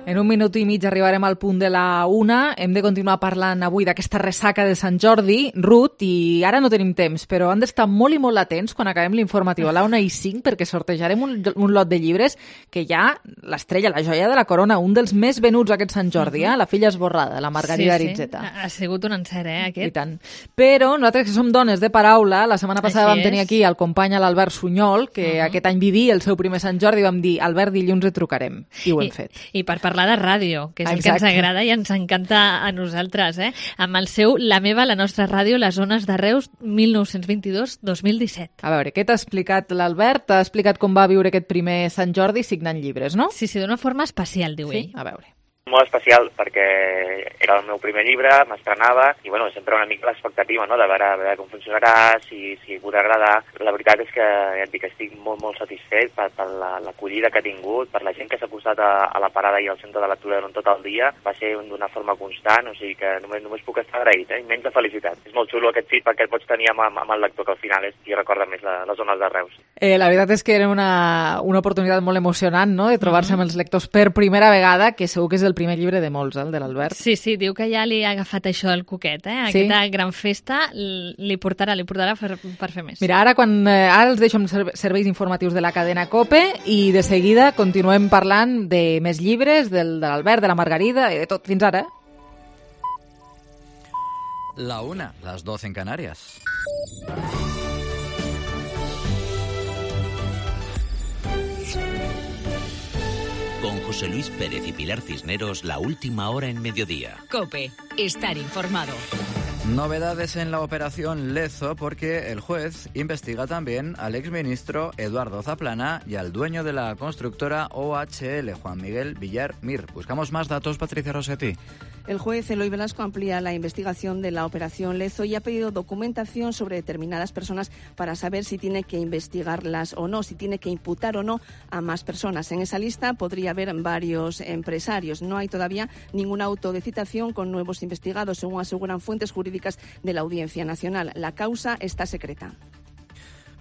En un minut i mig arribarem al punt de la 1. Hem de continuar parlant avui d'aquesta ressaca de Sant Jordi, Ruth, i ara no tenim temps, però han d'estar molt i molt atents quan acabem l'informatiu a la 1:05 perquè sortejarem un lot de llibres que hi ha l'estrella, la joia de la corona, un dels més venuts aquest Sant Jordi, La filla esborrada, la Margarida Aritzeta. Ha sigut un encert, aquest? I tant. Però nosaltres que som dones de paraula, la setmana passada vam tenir aquí el company l'Albert Sunyol, que aquest any vivia el seu primer Sant Jordi, i vam dir, Albert, dilluns et trucarem, i ho hem fet. I per parlar parlar de ràdio, que és el que ens agrada i ens encanta a nosaltres, amb el seu La meva, la nostra ràdio, les zones de Reus, 1922-2017. A veure, què t'ha explicat l'Albert? T'ha explicat com va viure aquest primer Sant Jordi signant llibres, no? Sí, d'una forma especial, diu ell. A veure. Molt especial, perquè era el meu primer llibre, m'estrenava, i bueno, sempre una mica l'expectativa, no?, de veure com funcionarà, si podrà agradar. La veritat és que, ja et dic, estic molt satisfet per l'acollida que ha tingut, per la gent que s'ha posat a la parada i al centre de lectura durant tot el dia. Va ser d'una forma constant, o sigui que només puc estar agraït, immens de felicitat. És molt xulo aquest feedback que pots tenir amb el lector, que al final és qui recorda més les zones de Reus. La veritat és que era una oportunitat molt emocionant, no?, de trobar-se amb els lectors per primera vegada, que segur que és el primer llibre de molts, el de l'Albert. Sí, diu que ja li ha agafat això el coquet, Aquesta gran festa li portarà per fer més. Mira, ara els deixo amb serveis informatius de la cadena COPE i de seguida continuem parlant de més llibres, de l'Albert, de la Margarida i de tot. Fins ara. La 1, las 12 en Canarias. Con José Luis Pérez y Pilar Cisneros, la última hora en mediodía. COPE, estar informado. Novedades en la operación Lezo porque el juez investiga también al exministro Eduardo Zaplana y al dueño de la constructora OHL, Juan Miguel Villar Mir. Buscamos más datos, Patricia Rossetti. El juez Eloy Velasco amplía la investigación de la operación Lezo y ha pedido documentación sobre determinadas personas para saber si tiene que investigarlas o no, si tiene que imputar o no a más personas. En esa lista podría haber varios empresarios. No hay todavía ningún auto de citación con nuevos investigados, según aseguran fuentes jurídicas de la Audiencia Nacional. La causa está secreta.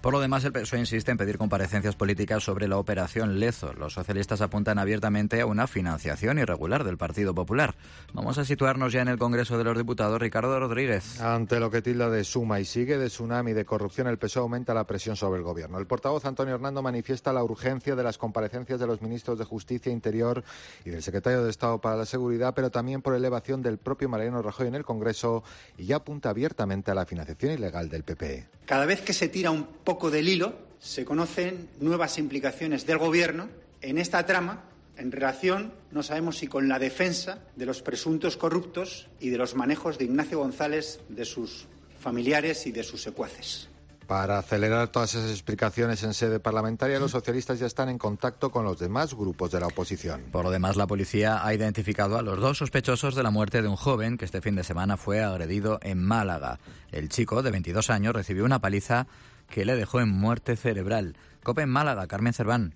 Por lo demás, el PSOE insiste en pedir comparecencias políticas sobre la operación Lezo. Los socialistas apuntan abiertamente a una financiación irregular del Partido Popular. Vamos a situarnos ya en el Congreso de los Diputados. Ricardo Rodríguez. Ante lo que tilda de suma y sigue de tsunami de corrupción, el PSOE aumenta la presión sobre el Gobierno. El portavoz Antonio Hernando manifiesta la urgencia de las comparecencias de los ministros de Justicia e Interior y del secretario de Estado para la Seguridad, pero también por elevación del propio Mariano Rajoy en el Congreso, y ya apunta abiertamente a la financiación ilegal del PP. Cada vez que se tira un poco del hilo, se conocen nuevas implicaciones del Gobierno en esta trama en relación, no sabemos si con la defensa de los presuntos corruptos y de los manejos de Ignacio González, de sus familiares y de sus secuaces. Para acelerar todas esas explicaciones en sede parlamentaria, los socialistas ya están en contacto con los demás grupos de la oposición. Por lo demás, la policía ha identificado a los 2 sospechosos de la muerte de un joven que este fin de semana fue agredido en Málaga. El chico, de 22 años, recibió una paliza que le dejó en muerte cerebral. COPE en Málaga, Carmen Cerván.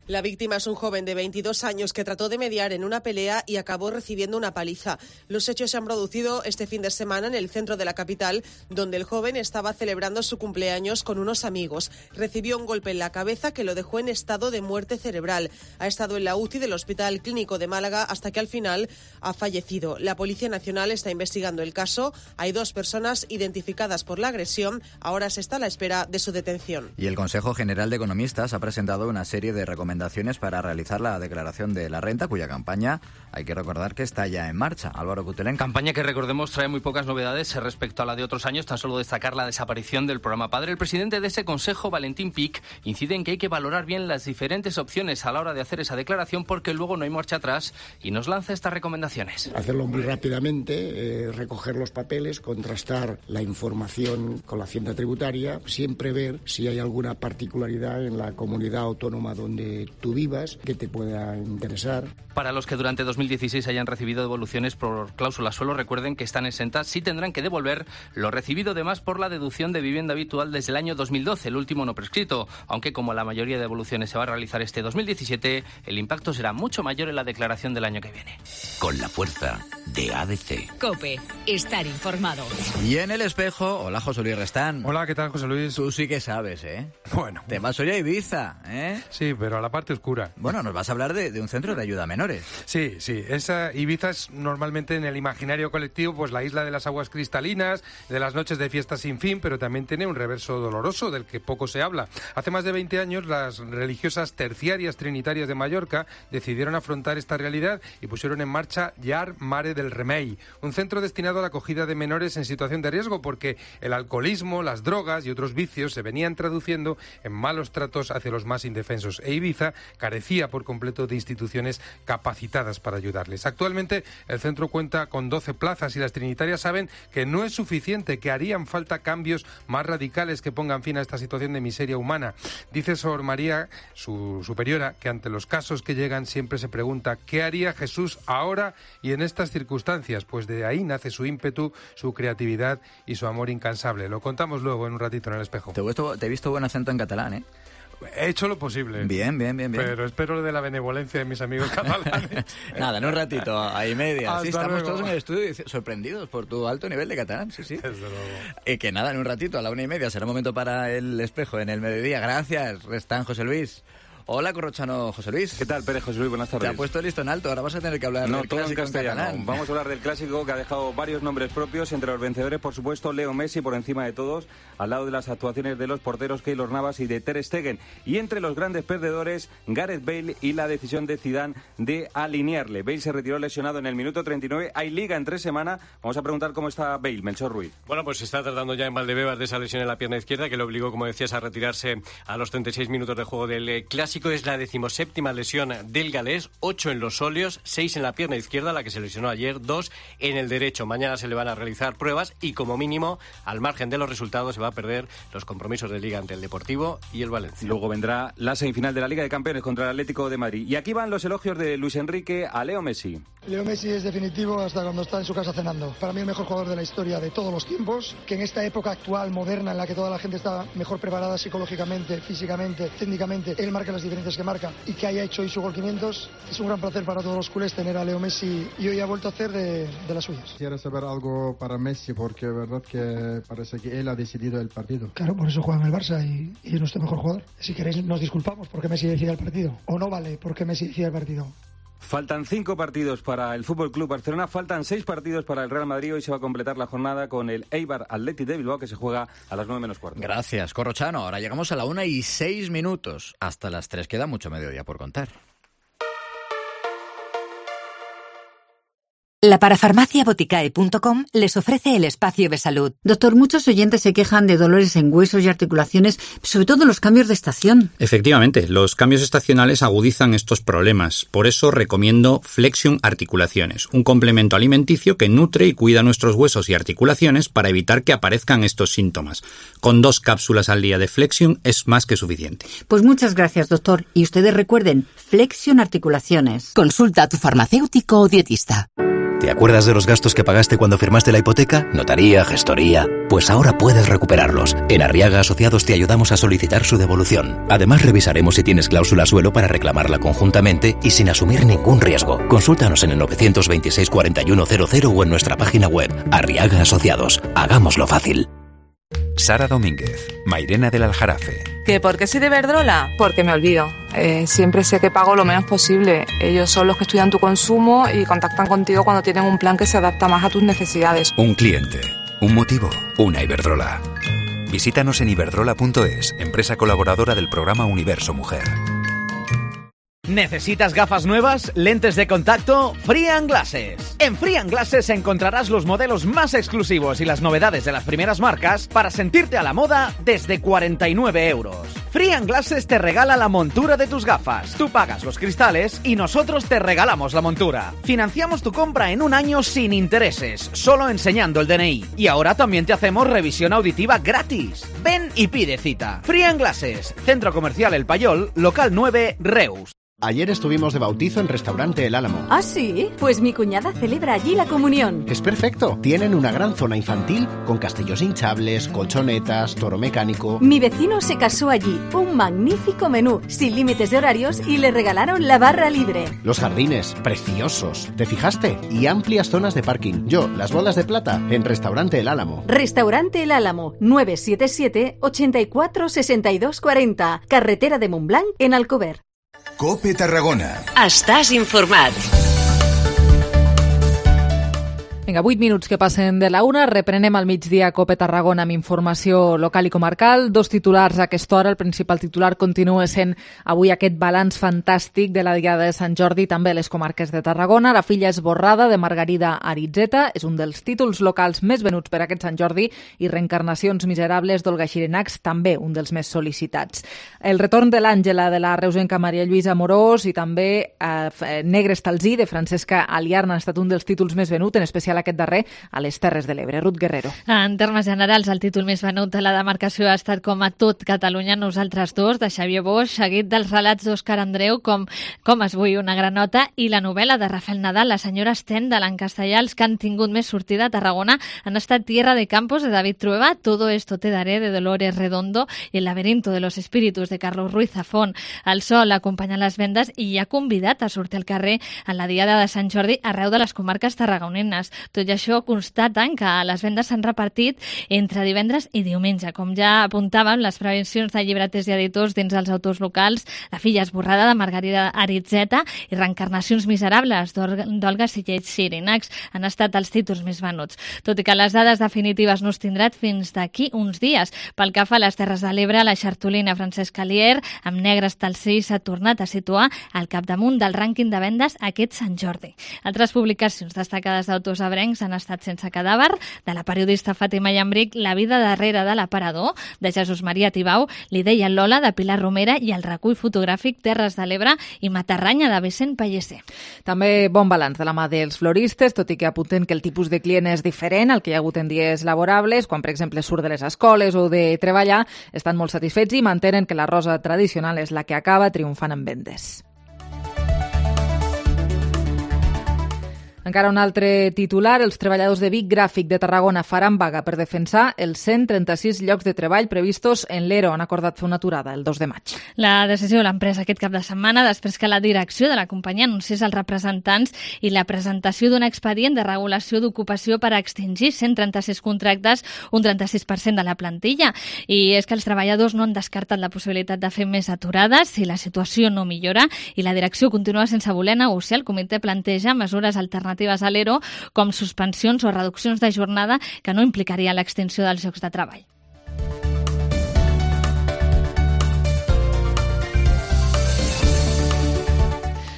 La víctima es un joven de 22 años que trató de mediar en una pelea y acabó recibiendo una paliza. Los hechos se han producido este fin de semana en el centro de la capital, donde el joven estaba celebrando su cumpleaños con unos amigos. Recibió un golpe en la cabeza que lo dejó en estado de muerte cerebral. Ha estado en la UCI del Hospital Clínico de Málaga hasta que al final ha fallecido. La Policía Nacional está investigando el caso. Hay 2 personas identificadas por la agresión. Ahora se está a la espera de su detención. Y el Consejo General de Economistas ha presentado una serie de recomendaciones para realizar la declaración de la renta, cuya campaña hay que recordar que está ya en marcha. Álvaro Cutelén. Campaña que, recordemos, trae muy pocas novedades respecto a la de otros años, tan solo destacar la desaparición del programa Padre. El presidente de ese consejo, Valentín Pic, incide en que hay que valorar bien las diferentes opciones a la hora de hacer esa declaración, porque luego no hay marcha atrás, y nos lanza estas recomendaciones. Hacerlo muy rápidamente, recoger los papeles, contrastar la información con la Hacienda Tributaria, siempre ver si hay alguna particularidad en la comunidad autónoma donde tú vivas que te pueda interesar. Para los que durante 2016 hayan recibido devoluciones por cláusula suelo, recuerden que están exentas, sí tendrán que devolver lo recibido de más por la deducción de vivienda habitual desde el año 2012, el último no prescrito, aunque como la mayoría de devoluciones se va a realizar este 2017, el impacto será mucho mayor en la declaración del año que viene. Con la fuerza de ADC. COPE, estar informado. Y en el espejo, hola José Luis Restán. Hola, ¿qué tal, José Luis? Tú sí que sabes, ¿eh? Bueno. Te vas hoy a Ibiza, ¿eh? Sí, pero a la parte oscura. Bueno, nos vas a hablar de un centro de ayuda a menores. Sí. Esa Ibiza es normalmente en el imaginario colectivo pues la isla de las aguas cristalinas, de las noches de fiesta sin fin, pero también tiene un reverso doloroso del que poco se habla. Hace más de 20 años las religiosas terciarias trinitarias de Mallorca decidieron afrontar esta realidad y pusieron en marcha Llar Mare del Remei, un centro destinado a la acogida de menores en situación de riesgo, porque el alcoholismo, las drogas y otros vicios se venían traduciendo en malos tratos hacia los más indefensos, e Ibiza carecía por completo de instituciones capacitadas para ayudarles. Actualmente el centro cuenta con 12 plazas y las trinitarias saben que no es suficiente, que harían falta cambios más radicales que pongan fin a esta situación de miseria humana. Dice Sor María, su superiora, que ante los casos que llegan siempre se pregunta ¿qué haría Jesús ahora y en estas circunstancias? Pues de ahí nace su ímpetu, su creatividad y su amor incansable. Lo contamos luego en un ratito en El Espejo. Te he visto buen acento en catalán, ¿eh? He hecho lo posible. Bien. Pero espero de la benevolencia de mis amigos catalanes. Nada, en un ratito, ahí media. Sí, estamos luego. todos en el estudio sorprendidos por tu alto nivel de catalán, sí. Desde luego. Y que nada, en un ratito, a la 1:30, será momento para El Espejo en el mediodía. Gracias, Restán José Luis. Hola, corrochano José Luis. ¿Qué tal, Pérez José Luis? Buenas tardes. Te ha puesto listo en alto, ahora vas a tener que hablar del todo clásico en castellano. catalán. Vamos a hablar del clásico que ha dejado varios nombres propios, entre los vencedores, por supuesto, Leo Messi por encima de todos, al lado de las actuaciones de los porteros Keylor Navas y de Ter Stegen, y entre los grandes perdedores, Gareth Bale y la decisión de Zidane de alinearle. Bale se retiró lesionado en el minuto 39, hay liga en 3 semanas. Vamos a preguntar cómo está Bale, Melchor Ruiz. Bueno, pues se está tratando ya en Valdebebas de esa lesión en la pierna izquierda que le obligó, como decías, a retirarse a los 36 minutos de juego del clásico. Es la 17ª lesión del galés, 8 en los óleos, 6 en la pierna izquierda, la que se lesionó ayer, 2 en el derecho. Mañana se le van a realizar pruebas y, como mínimo, al margen de los resultados, se va a perder los compromisos de Liga ante el Deportivo y el Valencia. Luego vendrá la semifinal de la Liga de Campeones contra el Atlético de Madrid. Y aquí van los elogios de Luis Enrique a Leo Messi. Leo Messi es definitivo hasta cuando está en su casa cenando. Para mí el mejor jugador de la historia de todos los tiempos, que en esta época actual, moderna, en la que toda la gente está mejor preparada psicológicamente, físicamente, técnicamente, él marca las diferencias que marca y que haya hecho hoy su gol 500. Es un gran placer para todos los culés tener a Leo Messi y hoy ha vuelto a hacer de las suyas. Quisiera saber algo para Messi, porque es verdad que parece que él ha decidido el partido. Claro, por eso juega en el Barça y es nuestro mejor jugador. Si queréis nos disculpamos porque Messi decide el partido. O no vale porque Messi decide el partido. Faltan 5 partidos para el Fútbol Club Barcelona, faltan 6 partidos para el Real Madrid. Hoy se va a completar la jornada con el Eibar Athletic de Bilbao, que se juega a las 9:45. Gracias, Corrochano. Ahora llegamos a la 1:06. Hasta las 3 queda mucho mediodía por contar. La parafarmacia Boticae.com les ofrece el espacio de salud. Doctor, muchos oyentes se quejan de dolores en huesos y articulaciones, sobre todo los cambios de estación. Efectivamente, los cambios estacionales agudizan estos problemas. Por eso recomiendo Flexion Articulaciones, un complemento alimenticio que nutre y cuida nuestros huesos y articulaciones para evitar que aparezcan estos síntomas. Con 2 cápsulas al día de Flexion es más que suficiente. Pues muchas gracias, doctor. Y ustedes recuerden, Flexion Articulaciones. Consulta a tu farmacéutico o dietista. ¿Te acuerdas de los gastos que pagaste cuando firmaste la hipoteca? Notaría, gestoría... Pues ahora puedes recuperarlos. En Arriaga Asociados te ayudamos a solicitar su devolución. Además, revisaremos si tienes cláusula suelo para reclamarla conjuntamente y sin asumir ningún riesgo. Consúltanos en el 926 4100 o en nuestra página web. Arriaga Asociados. Hagámoslo fácil. Sara Domínguez, Mairena del Aljarafe. ¿Que por qué soy de Iberdrola? Porque me olvido. Siempre sé que pago lo menos posible. Ellos son los que estudian tu consumo y contactan contigo cuando tienen un plan que se adapta más a tus necesidades. Un cliente, un motivo, una Iberdrola. Visítanos en iberdrola.es, empresa colaboradora del programa Universo Mujer. ¿Necesitas gafas nuevas? ¿Lentes de contacto? Free & Glasses. En Free & Glasses encontrarás los modelos más exclusivos y las novedades de las primeras marcas para sentirte a la moda desde 49 €. Free & Glasses te regala la montura de tus gafas. Tú pagas los cristales y nosotros te regalamos la montura. Financiamos tu compra en 1 año sin intereses, solo enseñando el DNI. Y ahora también te hacemos revisión auditiva gratis. Ven y pide cita. Free & Glasses, Centro Comercial El Payol, local 9, Reus. Ayer estuvimos de bautizo en Restaurante El Álamo. ¿Ah, sí? Pues mi cuñada celebra allí la comunión. Es perfecto. Tienen una gran zona infantil con castillos hinchables, colchonetas, toro mecánico. Mi vecino se casó allí. Un magnífico menú, sin límites de horarios y le regalaron la barra libre. Los jardines, preciosos. ¿Te fijaste? Y amplias zonas de parking. Yo, las bolas de plata, en Restaurante El Álamo. Restaurante El Álamo, 977 84 62 40. Carretera de Montblanc, en Alcover. COPE Tarragona. Estàs informat. Vinga, 8 minuts que passen de la 1. Reprenem al migdia Cope Tarragona amb informació local i comarcal. 2 titulars a aquesta hora. El principal titular continua sent avui aquest balanç fantàstic de la Diada de Sant Jordi, també a les comarques de Tarragona. La filla esborrada de Margarida Aritzeta és un dels títols locals més venuts per aquest Sant Jordi i Reencarnacions miserables d'Olga Xirinacs, també un dels més sol·licitats. El retorn de l'Àngela de la reusenca Maria Lluïsa Amorós i també Negre Estalzí de Francesca Aliarna han estat un dels títols més venuts, en especial aquest darrer a les Terres de l'Ebre. Ruth Guerrero. En termes generals, el títol més venut de la demarcació ha estat com a tot Catalunya, Nosaltres dos, de Xavier Boix, seguit dels relats d'Òscar Andreu, com es vull una granota, i la novel·la de Rafael Nadal, La senyora Stendhal, en castellà. Els que han tingut més sortida a Tarragona han estat Tierra de Campos, de David Trueba, Todo esto te daré, de Dolores Redondo, i El laberinto de los espíritus, de Carlos Ruiz Zafón. El sol acompanya les vendes i ha convidat a sortir al carrer en la Diada de Sant Jordi arreu de les comarques tarragonines. Tot i això, constaten que les vendes s'han repartit entre divendres i diumenge. Com ja apuntàvem, les prevencions de llibreters i editors dins els autors locals, La filla esborrada de Margarida Aritzeta i Reencarnacions miserables d'Olga Xirinacs han estat els títols més venuts. Tot i que les dades definitives no es tindran fins d'aquí uns dies. Pel que fa a les Terres de l'Ebre, la xartolina Francesca Alier, amb Negre Estalzí, s'ha tornat a situar al capdamunt del rànquing de vendes aquest Sant Jordi. Altres publicacions destacades d'autors ebrencs han estat Sense cadàver, de la periodista Fàtima Llambric, La vida darrere de l'aparador, de Jesús Maria Tibau, L'idea Lola, de Pilar Romera, i el recull fotogràfic Terres de l'Ebre i Matarranya, de Vicent Pellicer. També bon balanç de la mà dels floristes, tot i que apunten que el tipus de client és diferent al que hi ha hagut en dies laborables, quan, per exemple, surt de les escoles o de treballar, estan molt satisfets i mantenen que la rosa tradicional és la que acaba triomfant en vendes. Encara un altre titular. Els treballadors de Vic Gràfic de Tarragona faran vaga per defensar els 136 llocs de treball previstos en l'ERO. Han acordat fer una aturada el 2 de maig. La decisió de l'empresa aquest cap de setmana, després que la direcció de la companyia anunciés als representants i la presentació d'un expedient de regulació d'ocupació per extingir 136 contractes, un 36% de la plantilla. I és que els treballadors no han descartat la possibilitat de fer més aturades si la situació no millora i la direcció continua sense voler negociar. El comitè planteja mesures alternatives a l'ERO, com suspensions o reduccions de jornada que no implicaria l'extinció dels llocs de treball.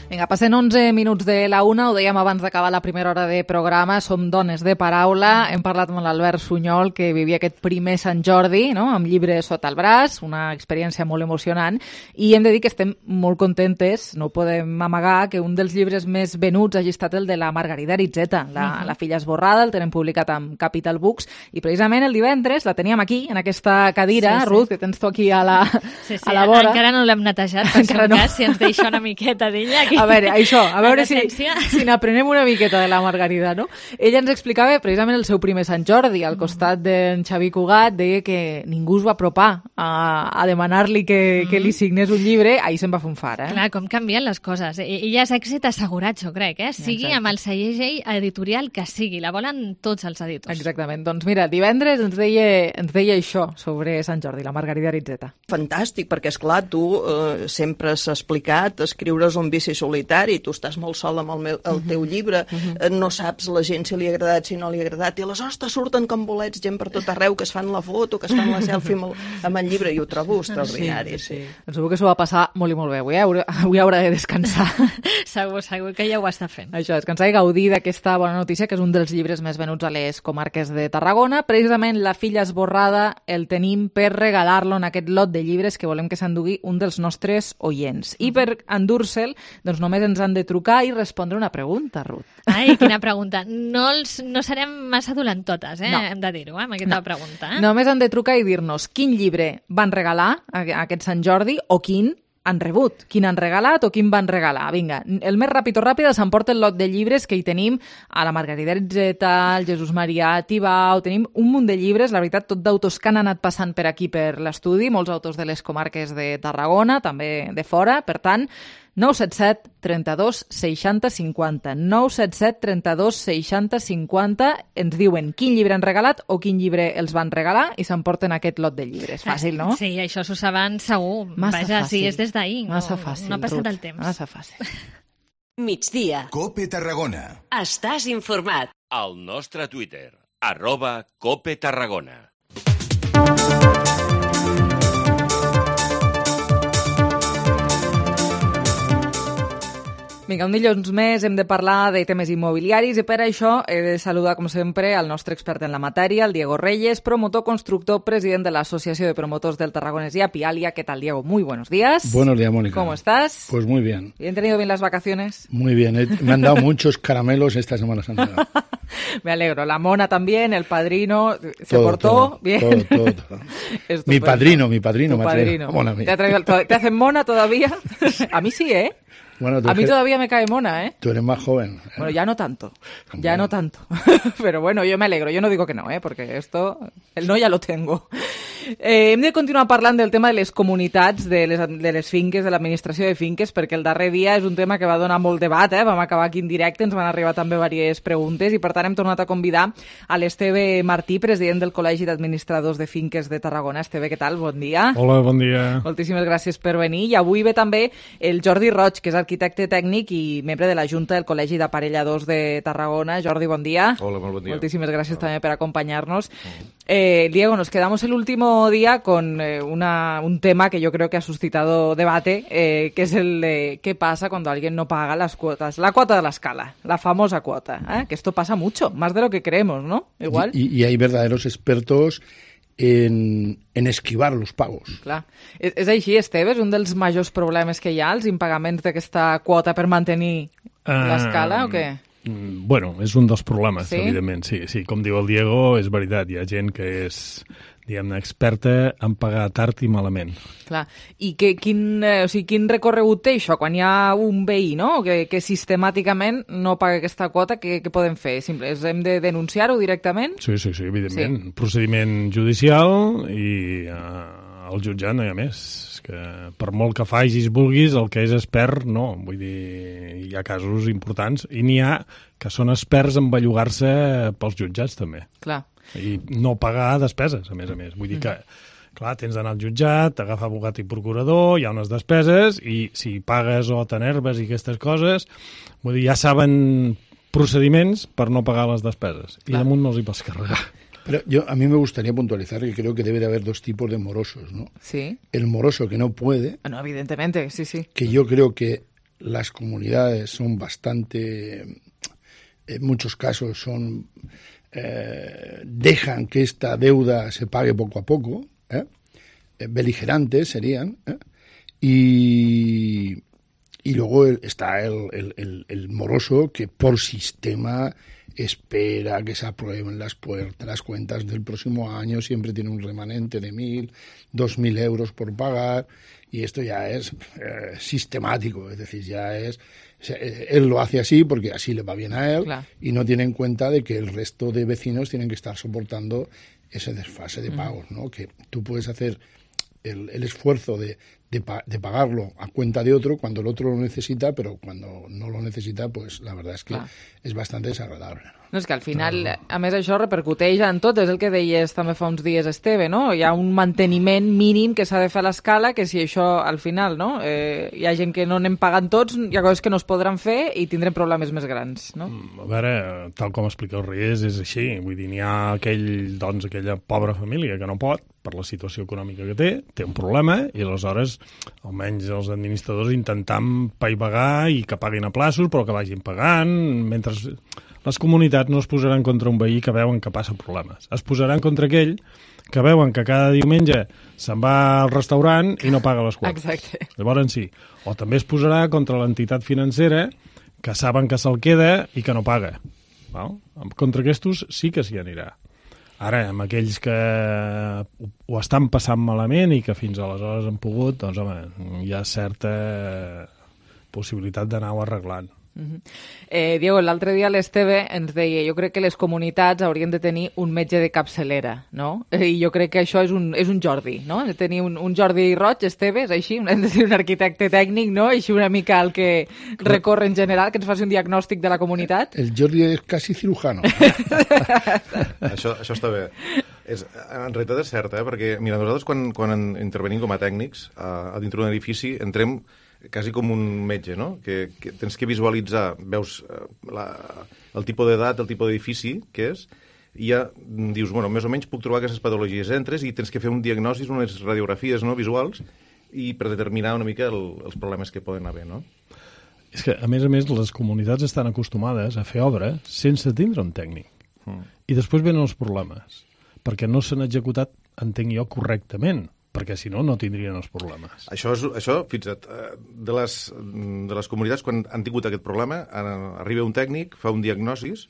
Vinga, passen 11 minuts de la 1, ho dèiem abans d'acabar la primera hora de programa, som dones de paraula, hem parlat amb l'Albert Sunyol, que vivia aquest primer Sant Jordi, no?, amb llibre sota el braç, una experiència molt emocionant, i hem de dir que estem molt contentes, no podem amagar, que un dels llibres més venuts hagi estat el de la Margarida Aritzeta, la filla esborrada, el tenen publicat amb Capital Books, i precisament el divendres la teníem aquí, en aquesta cadira, sí. Ruth, que tens tu aquí a la vora. Encara no l'hem netejat, per si no. Si ens deixa una miqueta d'ella aquí. A veure, això, a veure si n'aprenem una miqueta de la Margarida, no? Ella ens explicava precisament el seu primer Sant Jordi, al costat d'en Xavi Cugat, deia que ningú es va apropar a demanar-li que li signés un llibre, ahir se'n va fer un far, eh? Clar, com canvien les coses. I ja és èxit assegurat, jo crec, eh? Sigui amb el segell editorial que sigui, la volen tots els editors. Exactament, doncs mira, divendres ens deia això sobre Sant Jordi, la Margarida Aritzeta. Fantàstic, perquè esclar, tu sempre has explicat, escriure's un vici solitari, tu estàs molt sol amb el teu llibre, no saps la gent si li ha agradat, si no li ha agradat, i aleshores te surten com bolets gent per tot arreu, que es fan la foto, que es fan la selfie amb el llibre, i ho trobo extraordinari. Sí. Segur que s'ho va passar molt i molt bé. Avui haurà de descansar. Segur que ja ho està fent. Això, descansar i gaudir d'aquesta bona notícia, que és un dels llibres més venuts a les comarques de Tarragona. Precisament La filla esborrada el tenim per regalar-lo en aquest lot de llibres que volem que s'endugui un dels nostres oients. I per endur-se'l, doncs només ens han de trucar i respondre una pregunta, Ruth. Ai, quina pregunta. No serem massa dolentotes, no. Hem de dir-ho, amb aquesta pregunta. Només han de trucar i dir-nos quin llibre van regalar aquest Sant Jordi o quin han rebut, quin han regalat o quin van regalar. Vinga, el més ràpid o ràpida s'emporta el lot de llibres que hi tenim a la Margarida Aritzeta, al Jesús Maria Tibau, tenim un munt de llibres, la veritat, tot d'autors que han anat passant per aquí per l'estudi, molts autors de les comarques de Tarragona, també de fora, per tant, 977 32 60 50. 977 32 60 50. Ens diuen quin llibre han regalat o quin llibre els van regalar i s'emporten aquest lot de llibres. Fàcil, no? Sí, això s'ho saben segur. Massa Vaja, fàcil. sí, és des d'ahir. Massa fàcil, no ha passat Ruth. el temps. Massa fàcil. Migdia. Cope Tarragona. Estàs informat. al nostre Twitter, @CopeTarragona. Vinga, un dilluns més hem de parlar de temes immobiliaris i per això he de saludar, com sempre, al nostre expert en la matèria, el Diego Reyes, promotor, constructor, president de la Asociación de Promotores del Tarragonés y Apialia. ¿Qué tal, Diego? Muy buenos días. Buenos días, Mónica. ¿Cómo estás? Pues muy bien. ¿Y han tenido bien las vacaciones? Muy bien. Me han dado muchos caramelos esta Semana Santa. Me alegro. La mona también, el padrino, ¿se todo, portó todo, bien? Todo. Mi padrino. Tu padrino. Mona mía. ¿Te hacen mona todavía? A mí sí, ¿eh? Bueno, a mí todavía me cae mona, ¿eh? Tú eres más joven. Bueno, ya no tanto. Ya no tanto. Pero bueno, yo me alegro. Jo no digo que no, perquè esto... El no ja lo tengo. Hem de continuar parlant del tema de les comunitats, de les finques, de l'administració de finques, perquè el darrer dia és un tema que va donar molt debat, eh? Vam acabar aquí en directe, ens van arribar també diverses preguntes i per tant hem tornat a convidar a l'Esteve Martí, president del Col·legi d'Administradors de Finques de Tarragona. Esteve, què tal? Bon dia. Hola, bon dia. Moltíssimes gràcies per venir. I avui ve també el Jordi Roig, que és arquitecte tècnic i membre de la Junta del Col·legi d'Aparelladors de Tarragona. Jordi, bon dia. Hola, molt bon dia. Moltíssimes gràcies també per acompañarnos. Diego, nos quedamos el último día con un tema que yo creo que ha suscitado debate, que es el de qué pasa cuando alguien no paga las cuotas. La cuota de la escala, la famosa cuota, que esto pasa mucho, más de lo que creemos, ¿no? Igual. Y hay verdaderos expertos en esquivar los pagos. Clar. És així, Esteve? És un dels majors problemes que hi ha, els impagaments d'aquesta quota per mantenir l'escala, o què? Bueno, és un dels problemes, sí? Evidentment, sí. Com diu el Diego, és veritat, hi ha gent que és, diguem-ne, experta en pagar tard i malament. Clar. I quin recorregut té això? Quan hi ha un veí, no?, que sistemàticament no paga aquesta quota, què podem fer? Hem de denunciar-ho directament? Sí, evidentment. Sí. Procediment judicial i al jutjat no hi ha més. Que per molt que facis, vulguis, el que és expert, no. Vull dir, hi ha casos importants i n'hi ha que són experts en bellugar-se pels jutjats, també. Clar. I no pagar despeses, a més. Vull dir que, clar, tens d'anar al jutjat, t'agafa abogat i procurador, hi ha unes despeses, i si pagues o t'enerves i aquestes coses, vull dir, ja saben procediments per no pagar les despeses. Clar. I damunt no els hi pots carregar. Pero a mí me gustaría puntualizar que creo que debe de haber dos tipos de morosos, ¿no? Sí. El moroso que no puede. No, evidentemente, sí. Que yo creo que las comunidades son bastante, en muchos casos dejan que esta deuda se pague poco a poco, beligerantes serían, y luego está el moroso que por sistema espera que se aprueben las cuentas del próximo año, siempre tiene un remanente de 1.000, 2.000 euros por pagar, y esto ya es sistemático, es decir, él lo hace así porque así le va bien a él, claro. Y no tiene en cuenta de que el resto de vecinos tienen que estar soportando ese desfase de pagos, ¿no? Que tú puedes hacer el esfuerzo de pagarlo a cuenta de otro cuando el otro lo necesita, pero cuando no lo necesita, pues la verdad es que és bastante desagradable. No, és que al final, a més, això repercuteix en tot, és el que deies també fa uns dies, Esteve, no? Hi ha un manteniment mínim que s'ha de fer a l'escala, que si això, al final, no? Hi ha gent que no anem pagant tots, hi ha coses que no es podran fer i tindrem problemes més grans, no? A veure, tal com explica el Reyes, és així. Vull dir, n'hi ha aquella pobra família que no pot, per la situació econòmica que té un problema, i aleshores, almenys els administradors intentant paivagar i que paguin a plaços, però que vagin pagant, mentre les comunitats no es posaran contra un veí que veuen que passa problemes. Es posaran contra aquell que veuen que cada diumenge se'n va al restaurant i no paga les quotes. Exacte. Llavors sí. O també es posarà contra l'entitat financera que saben que se'l queda i que no paga. Val? Contra aquests sí que s'hi anirà. Ara, amb aquells que ho estan passant malament i que fins aleshores han pogut, doncs, home, hi ha certa possibilitat d'anar-ho arreglant. Diego, l'altre dia l'Esteve ens deia, jo crec que les comunitats haurien de tenir un metge de capçalera, no? I jo crec que això és un Jordi, no? De tenir un Jordi Roig, Esteve, és així? Hem de tenir un arquitecte tècnic, no? Així una mica el que recorre en general, que ens faci un diagnòstic de la comunitat. El Jordi és quasi cirujano. Això està bé. En realitat és cert, perquè mira, nosaltres quan intervenim com a tècnics a dintre d'un edifici entrem quasi com un metge, no? Que tens que visualitzar, veus el tipus d'edat, el tipus d'edifici que és, i ja dius, bueno, més o menys puc trobar aquestes patologies. Entres i tens que fer un diagnòstic, unes radiografies, no, visuals, i per determinar una mica els problemes que poden haver, no? És que, a més, les comunitats estan acostumades a fer obra sense tindre un tècnic. I després venen els problemes, perquè no s'han executat, entenc jo, correctament, perquè si no, no tindrien els problemes. Això fixa't, de les comunitats, quan han tingut aquest problema, arriba un tècnic, fa un diagnosis,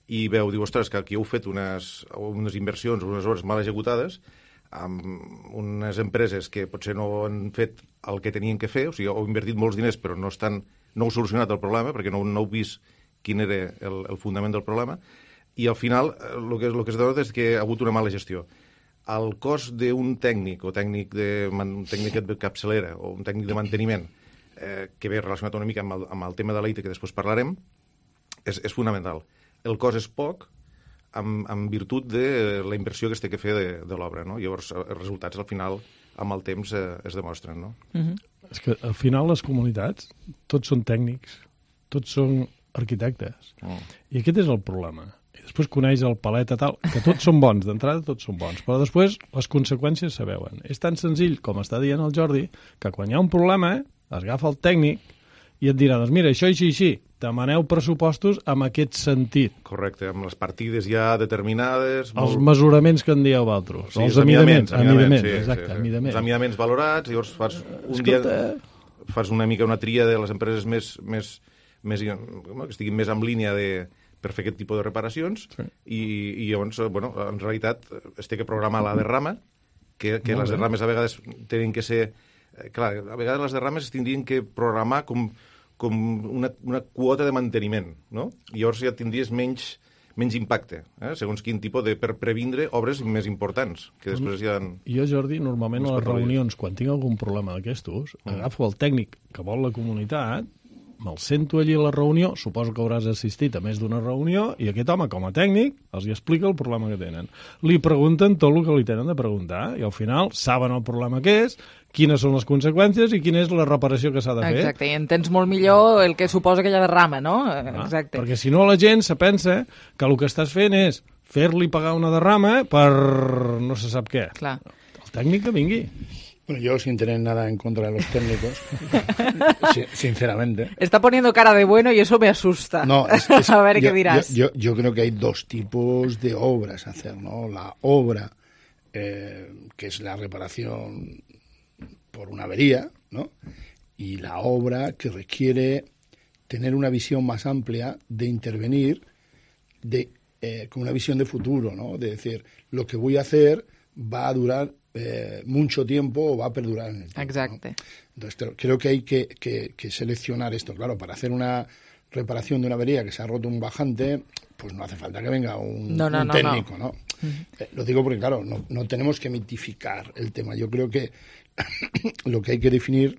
i diu, ostres, que aquí heu fet unes inversions, unes obres mal executades, amb unes empreses que potser no han fet el que tenien que fer, o sigui, heu invertit molts diners, però no heu solucionat el problema, perquè no heu vist quin era el fundament del problema, i al final el que es denota és que ha hagut una mala gestió. El cost d'un tècnic, o tècnic de capçalera, o un tècnic de manteniment, que ve relacionat una mica amb el tema de l'EITE, que després parlarem, és fonamental. El cost és poc, en virtut de la inversió que es té que fer de l'obra, no? Llavors, els resultats, al final, amb el temps, es demostren, no? És que, al final, les comunitats, tots són tècnics, tots són arquitectes. I aquest és el problema. I després coneix el palet tal, que tots són bons, d'entrada tots són bons, però després les conseqüències se veuen. És tan senzill, com està dient el Jordi, que quan hi ha un problema, agafa el tècnic i et dirà, doncs mira, això així, demaneu pressupostos amb aquest sentit. Correcte, amb les partides ja determinades... Els mesuraments que en dieu vosaltres. Sí, els amidaments, exacte, amidaments. Els amidaments valorats, llavors fas una mica una tria de les empreses que estiguin més en línia per fer aquest tipus de reparacions, i llavors, en realitat, es té que programar la derrama, que les derrames a vegades tenen que ser... Clar, a vegades les derrames es tindrien que programar com una quota de manteniment, no? I llavors ja tindries menys impacte, segons quin tipus per previndre obres més importants, que després hi ha... Jo, Jordi, normalment a les reunions, quan tinc algun problema d'aquestos, agafo el tècnic que vol la comunitat, me'l sento allí a la reunió, suposo que hauràs assistit a més d'una reunió, i aquest home, com a tècnic, els explica el problema que tenen. Li pregunten tot el que li tenen de preguntar, i al final saben el problema que és, quines són les conseqüències i quina és la reparació que s'ha de fer. Exacte, i entens molt millor el que suposa aquella derrama, no? Exacte. Perquè si no la gent se pensa que el que estàs fent és fer-li pagar una derrama per no se sap què. Clar. El tècnic que vingui. Bueno, yo sin tener nada en contra de los técnicos, sinceramente. Está poniendo cara de bueno y eso me asusta. No, a ver qué dirás. Yo creo que hay dos tipos de obras a hacer, ¿no? La obra, que es la reparación por una avería, ¿no? Y la obra que requiere tener una visión más amplia de intervenir con una visión de futuro, ¿no? De decir, lo que voy a hacer va a durar mucho tiempo o va a perdurar en el tiempo. Exacto. ¿no? Entonces, creo que hay que seleccionar esto. Claro, para hacer una reparación de una avería que se ha roto un bajante, pues no hace falta que venga un técnico, ¿no? Lo digo porque, claro, no tenemos que mitificar el tema. Yo creo que lo que hay que definir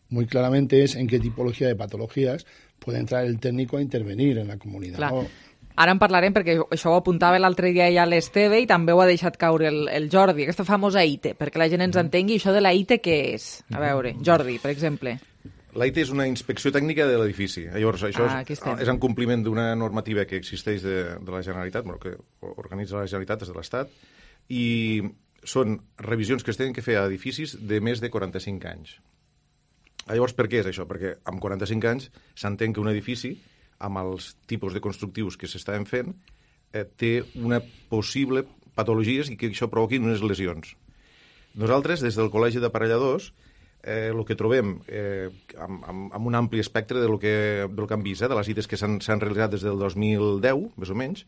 muy claramente es en qué tipología de patologías puede entrar el técnico a intervenir en la comunidad. Claro. ¿no? Ara en parlarem, perquè això ho apuntava l'altre dia ja l'Esteve i també ho ha deixat caure el Jordi, aquesta famosa ITE, perquè la gent ens entengui. Això de la ITE què és? A veure, Jordi, per exemple. La ITE és una inspecció tècnica de l'edifici. Llavors, això és en compliment d'una normativa que existeix de la Generalitat, que organitza la Generalitat des de l'Estat, i són revisions que es tenen que fer a edificis de més de 45 anys. Llavors, per què és això? Perquè amb 45 anys s'entén que un edifici, amb els tipus de constructius que s'estaven fent, té una possible patologies i que això provoqui unes lesions. Nosaltres, des del Col·legi d'Aparelladors, el que trobem amb un ampli espectre del que hem vist, de les ITEs que s'han realitzat des del 2010, més o menys,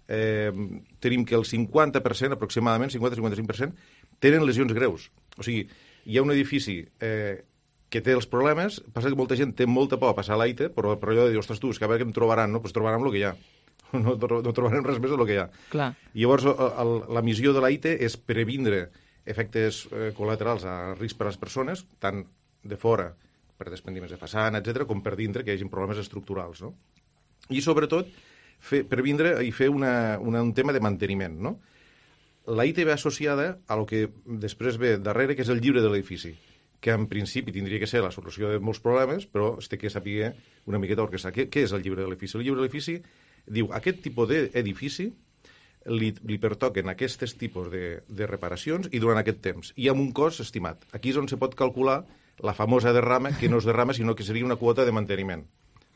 tenim que el 50%, aproximadament, 50-55%, tenen lesions greus. O sigui, hi ha un edifici que té els problemes, passa que molta gent té molta por a passar a l'AITE, però allò de dir, ostres, tu, és que a veure què em trobaran, no? Doncs trobaran el que hi ha. No trobarem res més del que hi ha. Clar. I llavors, la missió de l'AITE és previndre efectes col·laterals a risc per a les persones, tant de fora, per desprendiments de façana, etc., com per dintre, que hi hagi problemes estructurals, no? I, sobretot, previndre i fer un tema de manteniment, no? L'AITE ve associada a lo que després ve darrere, que és el llibre de l'edifici, que en principi tindria que ser la solució de molts problemes, però es té que saber una miqueta orquestar. Què és el llibre de l'edifici? El llibre de l'edifici diu aquest tipus d'edifici li pertoquen aquests tipus de reparacions i durant aquest temps, i amb un cost estimat. Aquí és on se pot calcular la famosa derrama, que no és derrama, sinó que seria una quota de manteniment.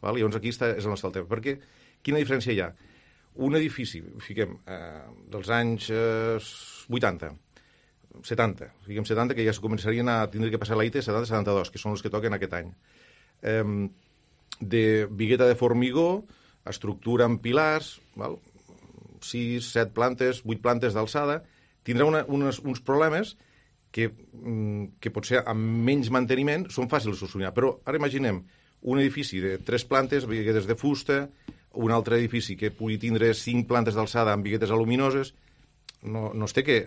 Val? Llavors aquí és on està el tema. Perquè quina diferència hi ha? Un edifici, fiquem, dels anys 80, 70, fiquem 70, que ja es començarien a tindre que passar la IT 70-72, que són els que toquen aquest any. De bigueta de formigó, estructura amb pilars, val? 6, 7 plantes, 8 plantes d'alçada, tindrà uns problemes que potser amb menys manteniment són fàcils de solucionar. Però ara imaginem un edifici de 3 plantes, biguetes de fusta, un altre edifici que pugui tindre 5 plantes d'alçada amb biguetes aluminoses. No es té que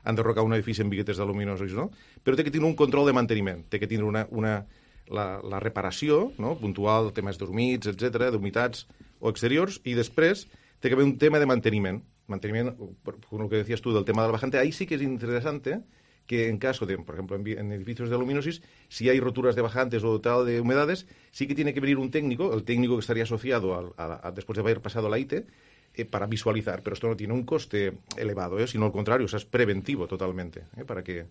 enderrocar un edifici amb biguetes aluminoses, no? Però té que tenir un control de manteniment, té que tindre la reparació, no? Puntual, temes d'humits, etc., d'humitats o exteriors, i després té que haver un tema de manteniment. Manteniment, con lo que decías tú del tema del bajante, ahí sí que es interesante que en caso de, por ejemplo, en edificios de aluminosis, si hay roturas de bajantes o tal de humedades, sí que tiene que venir un técnico, el técnico que estaría asociado después de haber pasado la IT, para visualizar. Pero esto no tiene un coste elevado, sino al contrario, o sea, es preventivo totalmente, para que...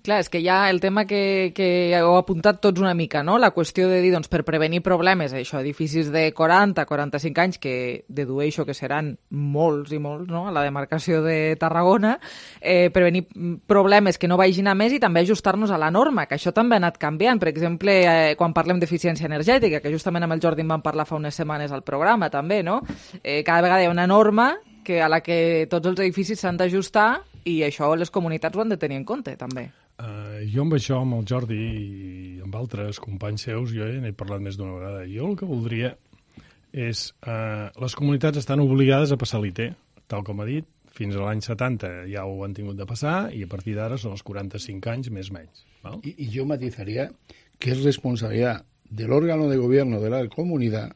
Clar, és que hi ha el tema que heu apuntat tots una mica, no? La qüestió de dir, doncs, per prevenir problemes, això, edificis de 40, 45 anys, que dedueixo que seran molts i molts, no?, a la demarcació de Tarragona, prevenir problemes que no vagin a més i també ajustar-nos a la norma, que això també ha anat canviant. Per exemple, quan parlem d'eficiència energètica, que justament amb el Jordi en vam parlar fa unes setmanes al programa, també, no? Cada vegada hi ha una norma a la que tots els edificis s'han d'ajustar i això les comunitats ho han de tenir en compte, també. Jo amb això, amb el Jordi i amb altres companys seus, jo n'he parlat més d'una vegada. Jo el que voldria és... les comunitats estan obligades a passar l'IT, tal com ha dit. Fins a l'any 70 ja ho han tingut de passar i a partir d'ara són els 45 anys més menys. ¿Val? Y yo matizaría que es responsabilidad del órgano de gobierno de la comunidad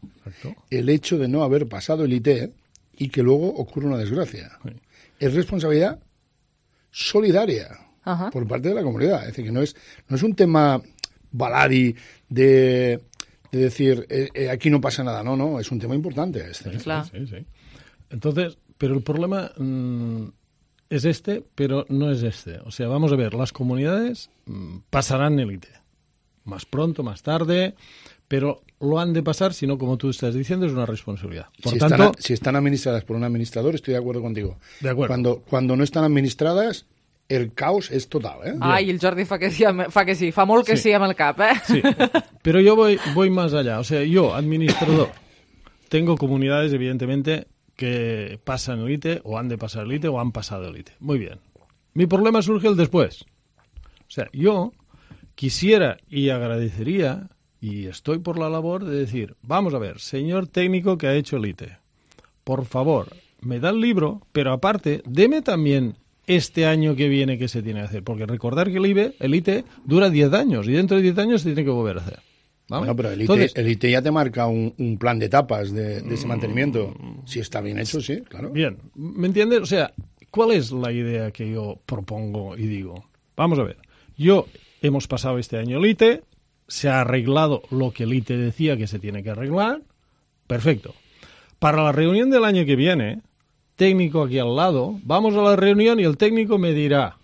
el hecho de no haber pasado el IT y que luego ocurra una desgracia. Sí. Es responsabilidad solidaria. Ajá. Por parte de la comunidad. Es decir, que no es un tema baladí de decir aquí no pasa nada. No, es un tema importante. Sí. Entonces, pero el problema es pero no es este. O sea, vamos a ver, las comunidades pasarán el IT. Más pronto, más tarde, pero lo han de pasar, si no, como tú estás diciendo, es una responsabilidad. Por tanto, si están administradas por un administrador, estoy de acuerdo contigo. De acuerdo. Cuando no están administradas, el caos és total, Ai, el Jordi fa que sí, fa molt que sí amb el cap, Sí, pero yo voy más allá. O sea, yo, administrador, tengo comunidades, evidentemente, que pasan el IT, o han de pasar el IT, o han pasado el IT. Muy bien. Mi problema surge el después. O sea, yo quisiera y agradecería, y estoy por la labor de decir, vamos a ver, señor técnico que ha hecho el IT, por favor, me da el libro, pero aparte, deme también este año que viene que se tiene que hacer. Porque recordar que el IT dura 10 años y dentro de 10 años se tiene que volver a hacer. ¿Vale? Bueno, pero el IT ya te marca un plan de etapas de ese mantenimiento. Si está bien hecho, sí, claro. Bien, ¿me entiendes? O sea, ¿cuál es la idea que yo propongo y digo? Vamos a ver, hemos pasado este año el IT, se ha arreglado lo que el IT decía que se tiene que arreglar, perfecto. Para la reunión del año que viene, técnico aquí al lado, vamos a la reunión y el técnico me dirá,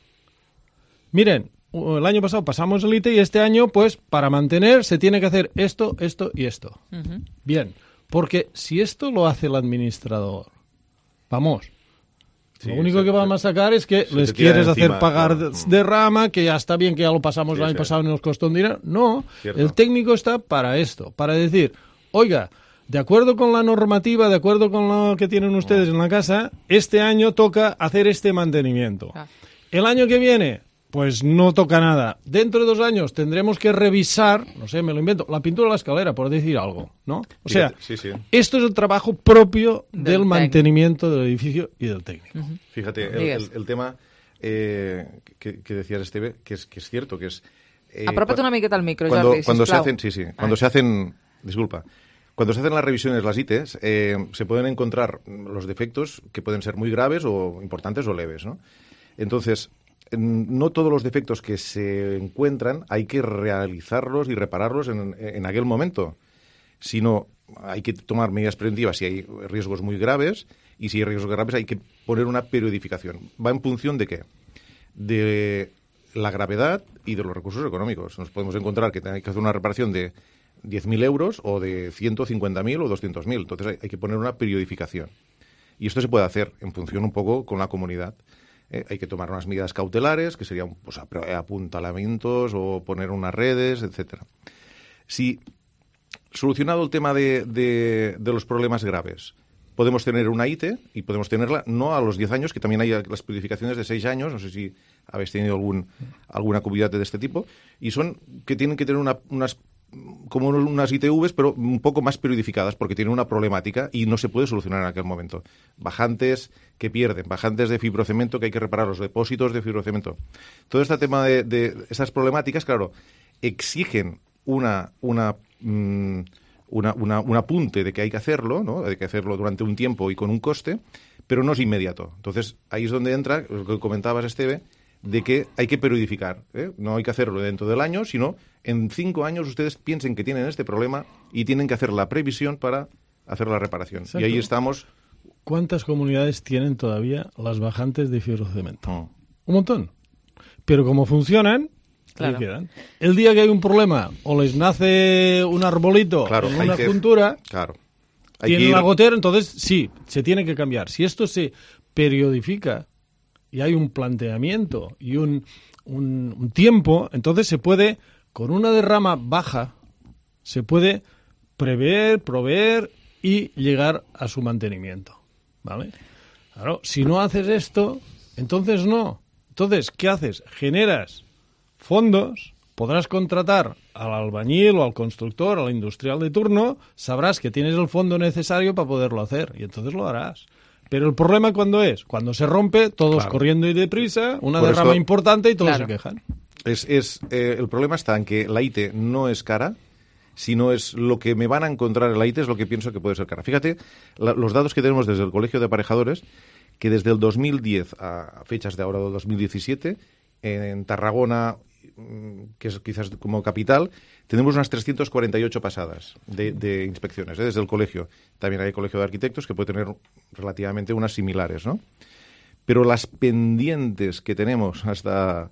miren, el año pasado pasamos el IT y este año, pues, para mantener se tiene que hacer esto, esto y esto. Uh-huh. Bien, porque si esto lo hace el administrador, vamos, sí, lo único que vamos a sacar es que les quieres hacer pagar de rama, que ya está bien, que ya lo pasamos el año pasado y nos costó un dinero. No, cierto. El técnico está para esto, para decir, oiga, de acuerdo con la normativa, de acuerdo con lo que tienen ustedes en la casa, este año toca hacer este mantenimiento. El año que viene, pues no toca nada. Dentro de 2 años tendremos que revisar, no sé, me lo invento, la pintura de la escalera, por decir algo, ¿no? O sea, esto es el trabajo propio del mantenimiento del edificio y del técnico. Uh-huh. Fíjate, el tema que decías, Esteve, que es cierto, que es... Aprópate una miqueta al micro, Jordi, cuando se hacen, disculpa, cuando se hacen las revisiones, las ITs, se pueden encontrar los defectos que pueden ser muy graves o importantes o leves, ¿no? Entonces, no todos los defectos que se encuentran hay que realizarlos y repararlos en aquel momento, sino hay que tomar medidas preventivas si hay riesgos muy graves, y si hay riesgos graves hay que poner una periodificación. ¿Va en función de qué? De la gravedad y de los recursos económicos. Nos podemos encontrar que hay que hacer una reparación de 10.000 euros o de 150.000 o 200.000. Entonces hay que poner una periodificación. Y esto se puede hacer en función un poco con la comunidad. Hay que tomar unas medidas cautelares, que serían pues, apuntalamientos o poner unas redes, etcétera. Si solucionado el tema de los problemas graves, podemos tener una ITE y podemos tenerla no a los 10 años, que también hay las periodificaciones de 6 años, no sé si habéis tenido alguna comunidad de este tipo, y son que tienen que tener unas ITVs, pero un poco más periodificadas, porque tienen una problemática y no se puede solucionar en aquel momento. Bajantes que pierden, bajantes de fibrocemento que hay que reparar, los depósitos de fibrocemento. Todo este tema de esas problemáticas, claro, exigen un apunte de que hay que hacerlo, ¿no? De que hacerlo durante un tiempo y con un coste, pero no es inmediato. Entonces, ahí es donde entra lo que comentabas, Esteve, de que hay que periodificar, ¿eh? No hay que hacerlo dentro del año, sino en 5 años ustedes piensen que tienen este problema y tienen que hacer la previsión para hacer la reparación. Exacto. Y ahí estamos. ¿Cuántas comunidades tienen todavía las bajantes de fibrocemento? Un montón. Pero como funcionan, claro, ahí quedan. El día que hay un problema o les nace un arbolito, claro, en una juntura, claro, tiene una gotera, entonces sí, se tiene que cambiar. Si esto se periodifica y hay un planteamiento y un tiempo, entonces se puede, con una derrama baja, se puede prever, proveer y llegar a su mantenimiento, ¿vale? Claro, si no haces esto, entonces no. Entonces, ¿qué haces? Generas fondos, podrás contratar al albañil o al constructor, al industrial de turno, sabrás que tienes el fondo necesario para poderlo hacer y entonces lo harás. Pero el problema, ¿cuándo es? Cuando se rompe, todos claro, corriendo y deprisa, una por derrama importante y todos claro, se quejan. El problema está en que la ITE no es cara, sino es lo que me van a encontrar en la ITE es lo que pienso que puede ser cara. Fíjate, los datos que tenemos desde el Colegio de Aparejadores, que desde el 2010 a fechas de ahora del 2017, en Tarragona, que es quizás como capital, tenemos unas 348 pasadas de inspecciones, desde el colegio. También hay colegio de arquitectos que puede tener relativamente unas similares, ¿no? Pero las pendientes que tenemos hasta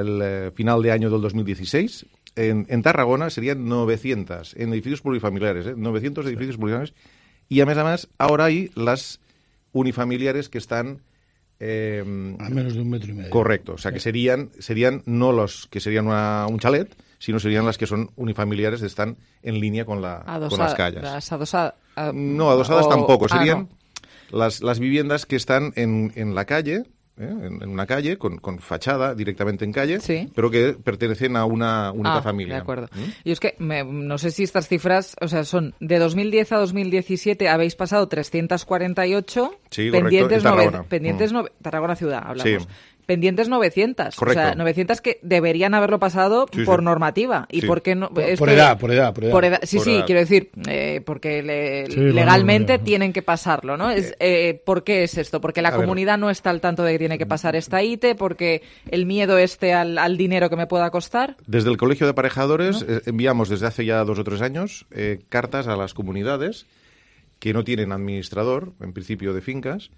el final de año del 2016, en Tarragona serían 900, en edificios plurifamiliares, 900 edificios plurifamiliares, y a más, ahora hay las unifamiliares que están a menos de 1,5 metros. Correcto, o sea que serían no los que serían un chalet, sino serían las que son unifamiliares, están en línea con las calles. No, adosadas tampoco, serían las viviendas que están en la calle, en una calle, con fachada directamente en calle, sí, pero que pertenecen a una única familia. De acuerdo. Y es que no sé si estas cifras, o sea, son de 2010 a 2017 habéis pasado 348, sí, pendientes, correcto, Tarragona ciudad, hablamos. Sí. Pendientes 900. Correcto. O sea, 900 que deberían haberlo pasado sí, por sí, normativa. ¿Y sí, por qué no? Por edad. Sí, por edad. Quiero decir, porque legalmente tienen que pasarlo, ¿no? ¿Por qué es esto? Porque la comunidad no está al tanto de que tiene que pasar esta ITE, porque el miedo al dinero que me pueda costar. Desde el Colegio de Aparejadores, ¿no? Enviamos desde hace ya 2 o 3 años cartas a las comunidades que no tienen administrador, en principio de fincas,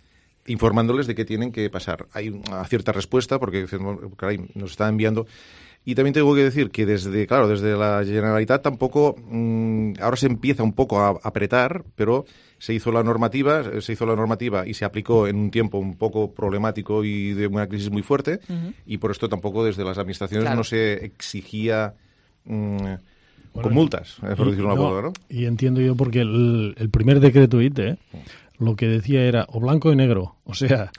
informándoles de que tienen que pasar. Hay una cierta respuesta porque caray, nos está enviando. Y también tengo que decir que desde la Generalitat tampoco ahora se empieza un poco a apretar, pero se hizo la normativa y se aplicó en un tiempo un poco problemático y de una crisis muy fuerte, y por esto tampoco desde las administraciones no se exigía con multas, por decirlo de una forma, ¿no? Y entiendo yo porque el primer decreto ITE lo que decía era o blanco o negro. O sea,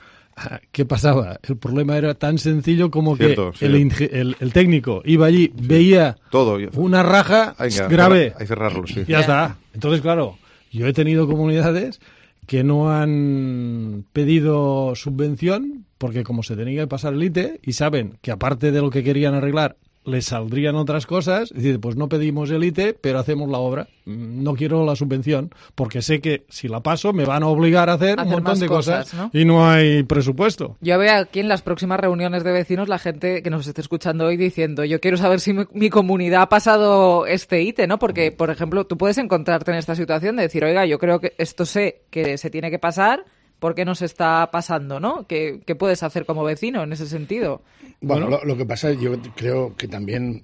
¿qué pasaba? El problema era tan sencillo como que el técnico iba allí, veía todo, una raja grave. Hay que cerrarlo, sí. Ya está. Entonces, claro, yo he tenido comunidades que no han pedido subvención porque como se tenía que pasar el ITE y saben que aparte de lo que querían arreglar, les saldrían otras cosas, es decir, pues no pedimos el ITE, pero hacemos la obra. No quiero la subvención, porque sé que si la paso me van a obligar a hacer un montón de cosas, ¿no? Y no hay presupuesto. Yo veo aquí en las próximas reuniones de vecinos la gente que nos esté escuchando hoy diciendo, yo quiero saber si mi comunidad ha pasado este ITE, ¿no? Porque, por ejemplo, tú puedes encontrarte en esta situación de decir, oiga, yo creo que esto sé que se tiene que pasar, ¿por qué no se está pasando, no? ¿Qué puedes hacer como vecino en ese sentido? Bueno, lo que pasa es yo creo que también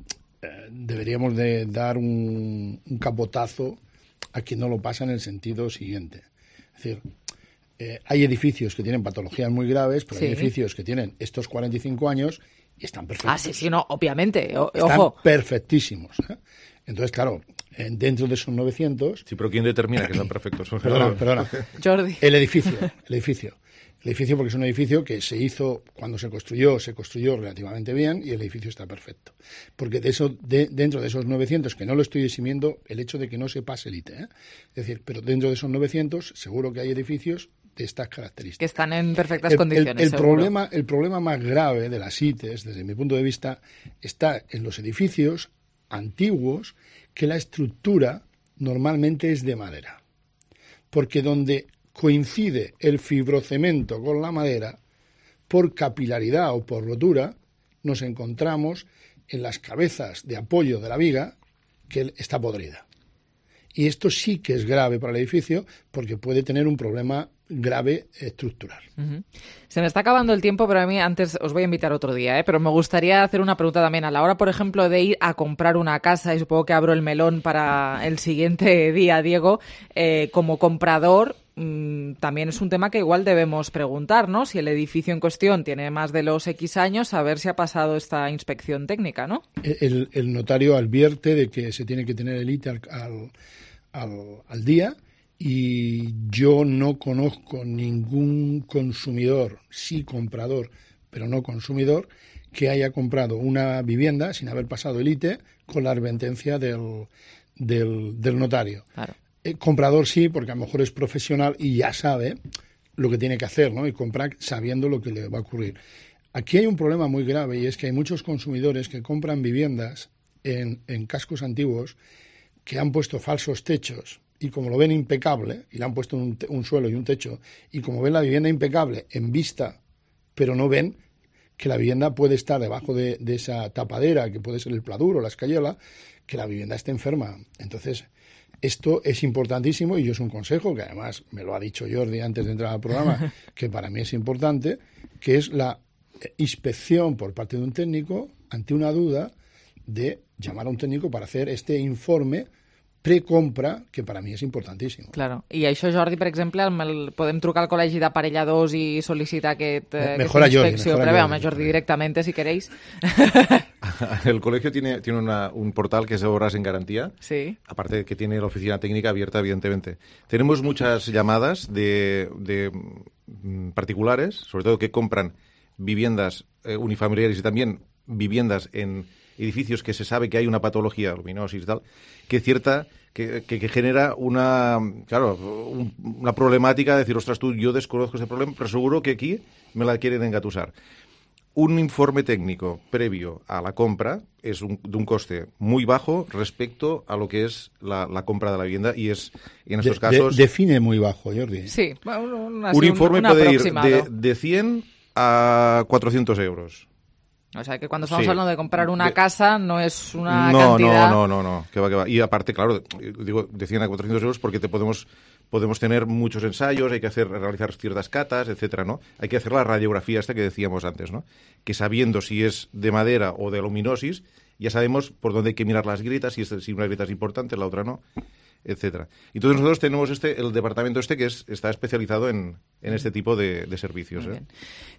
deberíamos de dar un capotazo a quien no lo pasa en el sentido siguiente. Es decir, hay edificios que tienen patologías muy graves, pero hay edificios que tienen estos 45 años y están perfectos. Sí, no, obviamente. Están ojo. perfectísimos. Entonces, claro, dentro de esos 900... Sí, pero ¿quién determina que están perfectos? Perdona. Jordi. El edificio, porque es un edificio que cuando se construyó relativamente bien y el edificio está perfecto. Porque dentro de esos 900, que no lo estoy eximiendo el hecho de que no se pase el ITE, es decir, pero dentro de esos 900 seguro que hay edificios de estas características. Que están en perfectas condiciones. El problema más grave de las ITES, desde mi punto de vista, está en los edificios antiguos que la estructura normalmente es de madera. Porque donde coincide el fibrocemento con la madera, por capilaridad o por rotura, nos encontramos en las cabezas de apoyo de la viga que está podrida. Y esto sí que es grave para el edificio porque puede tener un problema grave estructural. Uh-huh. Se me está acabando el tiempo, pero a mí antes os voy a invitar otro día, pero me gustaría hacer una pregunta también. A la hora, por ejemplo, de ir a comprar una casa, y supongo que abro el melón para el siguiente día, Diego, como comprador, también es un tema que igual debemos preguntar, ¿no? Si el edificio en cuestión tiene más de los X años, a ver si ha pasado esta inspección técnica, ¿no? El notario advierte de que se tiene que tener el ITE al día. Y yo no conozco ningún consumidor, sí comprador, pero no consumidor, que haya comprado una vivienda sin haber pasado el ITE con la advertencia del notario. Claro. Comprador sí, porque a lo mejor es profesional y ya sabe lo que tiene que hacer, ¿no? Y comprar sabiendo lo que le va a ocurrir. Aquí hay un problema muy grave y es que hay muchos consumidores que compran viviendas en cascos antiguos que han puesto falsos techos. Y como lo ven impecable, y le han puesto un suelo y un techo, y como ven la vivienda impecable en vista, pero no ven que la vivienda puede estar debajo de esa tapadera, que puede ser el pladur o la escayola, que la vivienda esté enferma. Entonces, esto es importantísimo y yo es un consejo, que además me lo ha dicho Jordi antes de entrar al programa, que para mí es importante, que es la inspección por parte de un técnico ante una duda de llamar a un técnico para hacer este informe precompra, que para mi és importantíssim. Claro. I això, Jordi, per exemple, podem trucar al Col·legi d'Aparelladors i sol·licitar aquesta inspecció. Pero veamos, Jordi, directamente, si queréis. El colegio tiene un portal que es Obras en Garantía, sí. Aparte de que tiene la oficina técnica abierta, evidentemente. Tenemos muchas llamadas de particulares, sobre todo que compran viviendas unifamiliares y también viviendas en edificios que se sabe que hay una patología, luminosis y tal, que genera una problemática de decir, ostras, yo desconozco ese problema, pero seguro que aquí me la quieren engatusar. Un informe técnico previo a la compra es de un coste muy bajo respecto a lo que es la compra de la vivienda y es, en estos casos... Define muy bajo, Jordi. Sí, un informe puede ir de 100 a 400 euros. O sea, que cuando estamos hablando de comprar una casa no es una cantidad... No, que va. Y aparte, claro, digo de 100 a 400 euros porque podemos tener muchos ensayos, hay que realizar ciertas catas, etcétera, ¿no? Hay que hacer la radiografía esta que decíamos antes, ¿no? Que sabiendo si es de madera o de luminosis, ya sabemos por dónde hay que mirar las grietas, si una grieta es importante, la otra no, etcétera. Entonces nosotros tenemos el departamento que está especializado en este tipo de servicios.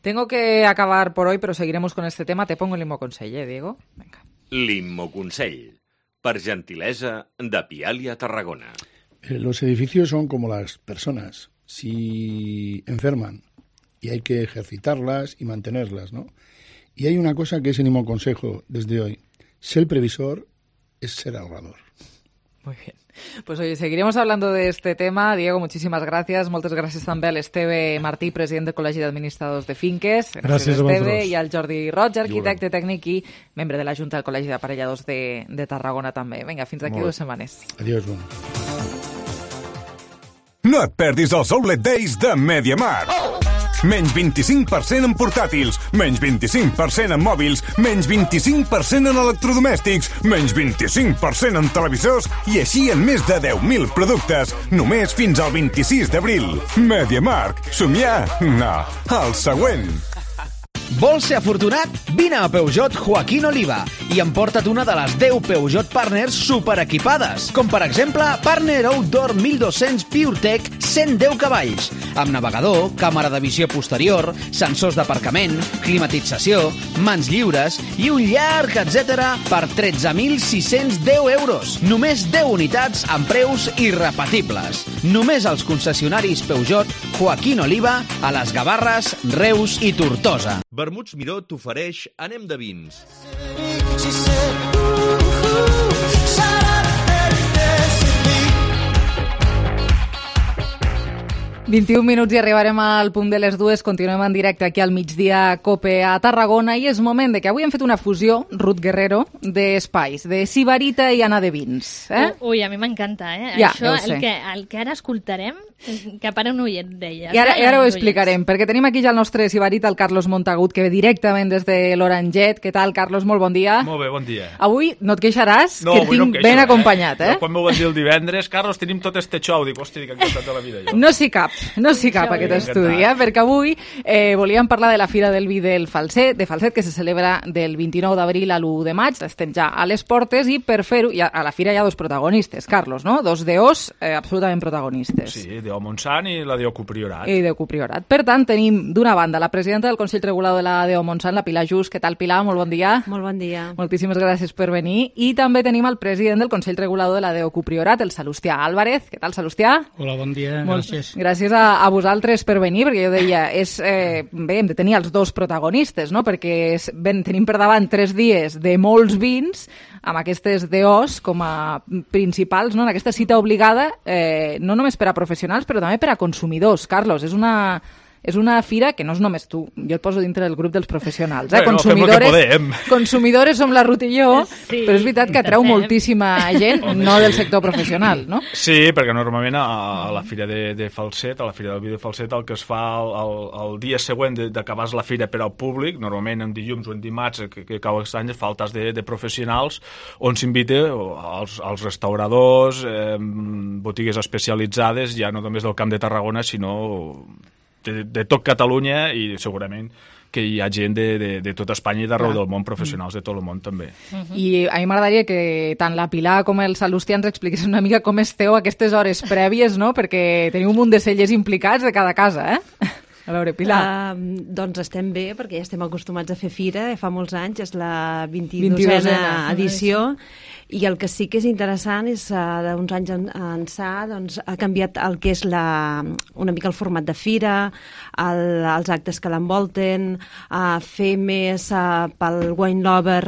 Tengo que acabar por hoy, pero seguiremos con este tema. Te pongo el Limoconsell, Diego? Venga. Limoconsell, per gentilesa de Pialia Tarragona. Los edificios son como las personas. Si enferman y hay que ejercitarlas y mantenerlas, ¿no? Y hay una cosa que es el Limoconsell desde hoy. Ser previsor es ser ahorrador. Muy bien. Pues oye, seguiremos hablando de este tema. Diego, muchísimas gracias. Moltes gràcies també a l'Esteve Martí, president del Col·legi d'Administradors de Finques. Gràcies a Esteve. I al Jordi Roig, arquitecte tècnic i membre de la Junta del Col·legi d'Aparelladors de Tarragona també. Vinga, fins d'aquí 2 setmanes. Adiós, bon. No et perdis els Outlet Days de MediaMarkt. Menys 25% en portàtils, menys 25% en mòbils, menys 25% en electrodomèstics, menys 25% en televisors i així en més de 10.000 productes, només fins al 26 d'abril. MediaMarkt. Somiar? No. El següent. Vols ser afortunat? Vine a Peugeot Joaquín Oliva i emporta't una de les 10 Peugeot Partners superequipades, com per exemple Partner Outdoor 1200 PureTech 110 cavalls, amb navegador, càmera de visió posterior, sensors d'aparcament, climatització, mans lliures i un llarg etcètera per 13.610 euros. Només 10 unitats amb preus irrepetibles. Només als concessionaris Peugeot Joaquín Oliva a les Gavarres, Reus i Tortosa. Vermuts Miró t'ofereix Anem de vins. 21 minuts i arribarem al punt de les 2. Continuem en directe aquí al migdia COPE a Tarragona i és moment de que avui hem fet una fusió, Ruth Guerrero, d'espais, de Sibarita i Anna de Vins. Ui, a mi m'encanta, Ja, això, el que ara escoltarem, que para un oient deia. I ara ho explicarem, perquè tenim aquí ja el nostre Sibarita, el Carlos Montagut, que ve directament des de l'Oranget. Què tal, Carlos? Molt bon dia. Molt bé, bon dia. Avui no et queixaràs, que et tinc ben acompanyat, Ben quan m'ho van dir el divendres, Carlos, tenim tot este xou. Dic, hòstia, dic, encantat de la vida. Jo. No s'hi cap aquest estudi, perquè avui volíem parlar de la Fira del Vi del Falset, que se celebra del 29 d'abril a l'1 de maig. Estem ja a les portes i per fer-ho, a la Fira hi ha dos protagonistes, Carlos, no? Dos DOs absolutament protagonistes. Sí, DO Montsant i la DO Copriorat. I DO Copriorat. Per tant, tenim d'una banda la presidenta del Consell Regulador de la DO Montsant, la Pilar Just. Què tal, Pilar? Molt bon dia. Molt bon dia. Moltíssimes gràcies per venir. I també tenim el president del Consell Regulador de la DO Copriorat, el Salustià Álvarez. Què tal, Salustià? Hola, bon dia. Gràcies. Gràcies a vosaltres per venir, perquè jo deia, bé, hem de tenir els dos protagonistes, no? Perquè tenim per davant 3 dies de molts vins, amb aquestes DOs com a principals, no? En aquesta cita obligada, no només per a professionals, però també per a consumidors. Carlos, és una fira que no és només tu, jo et poso dintre del grup dels professionals. Consumidores som la Ruth i jo, sí, però és veritat que atreu moltíssima gent, no del sector professional, no? Sí, perquè normalment a la fira de Falset, a la fira del vi de Falset, el que es fa el dia següent d'acabar la fira per al públic, normalment en dilluns o en dimarts, que cau aquest any, faltes de professionals, on s'invita als restauradors, botigues especialitzades, ja no només del Camp de Tarragona, sinó de tot Catalunya, i segurament que hi ha gent de tot Espanya i d'arreu del món, professionals de tot el món també. I a mi m'agradaria que tant la Pilar com el Salustià ens expliqués una mica com esteu aquestes hores prèvies, no? Perquè teniu un munt de cellers implicats de cada casa, A veure, Pilar. Doncs estem bé, perquè ja estem acostumats a fer fira, fa molts anys, és la 22a edició, i el que sí que és interessant és d'uns anys ençà ha canviat el que és una mica el format de fira, els actes que l'envolten, fer més pel wine lover,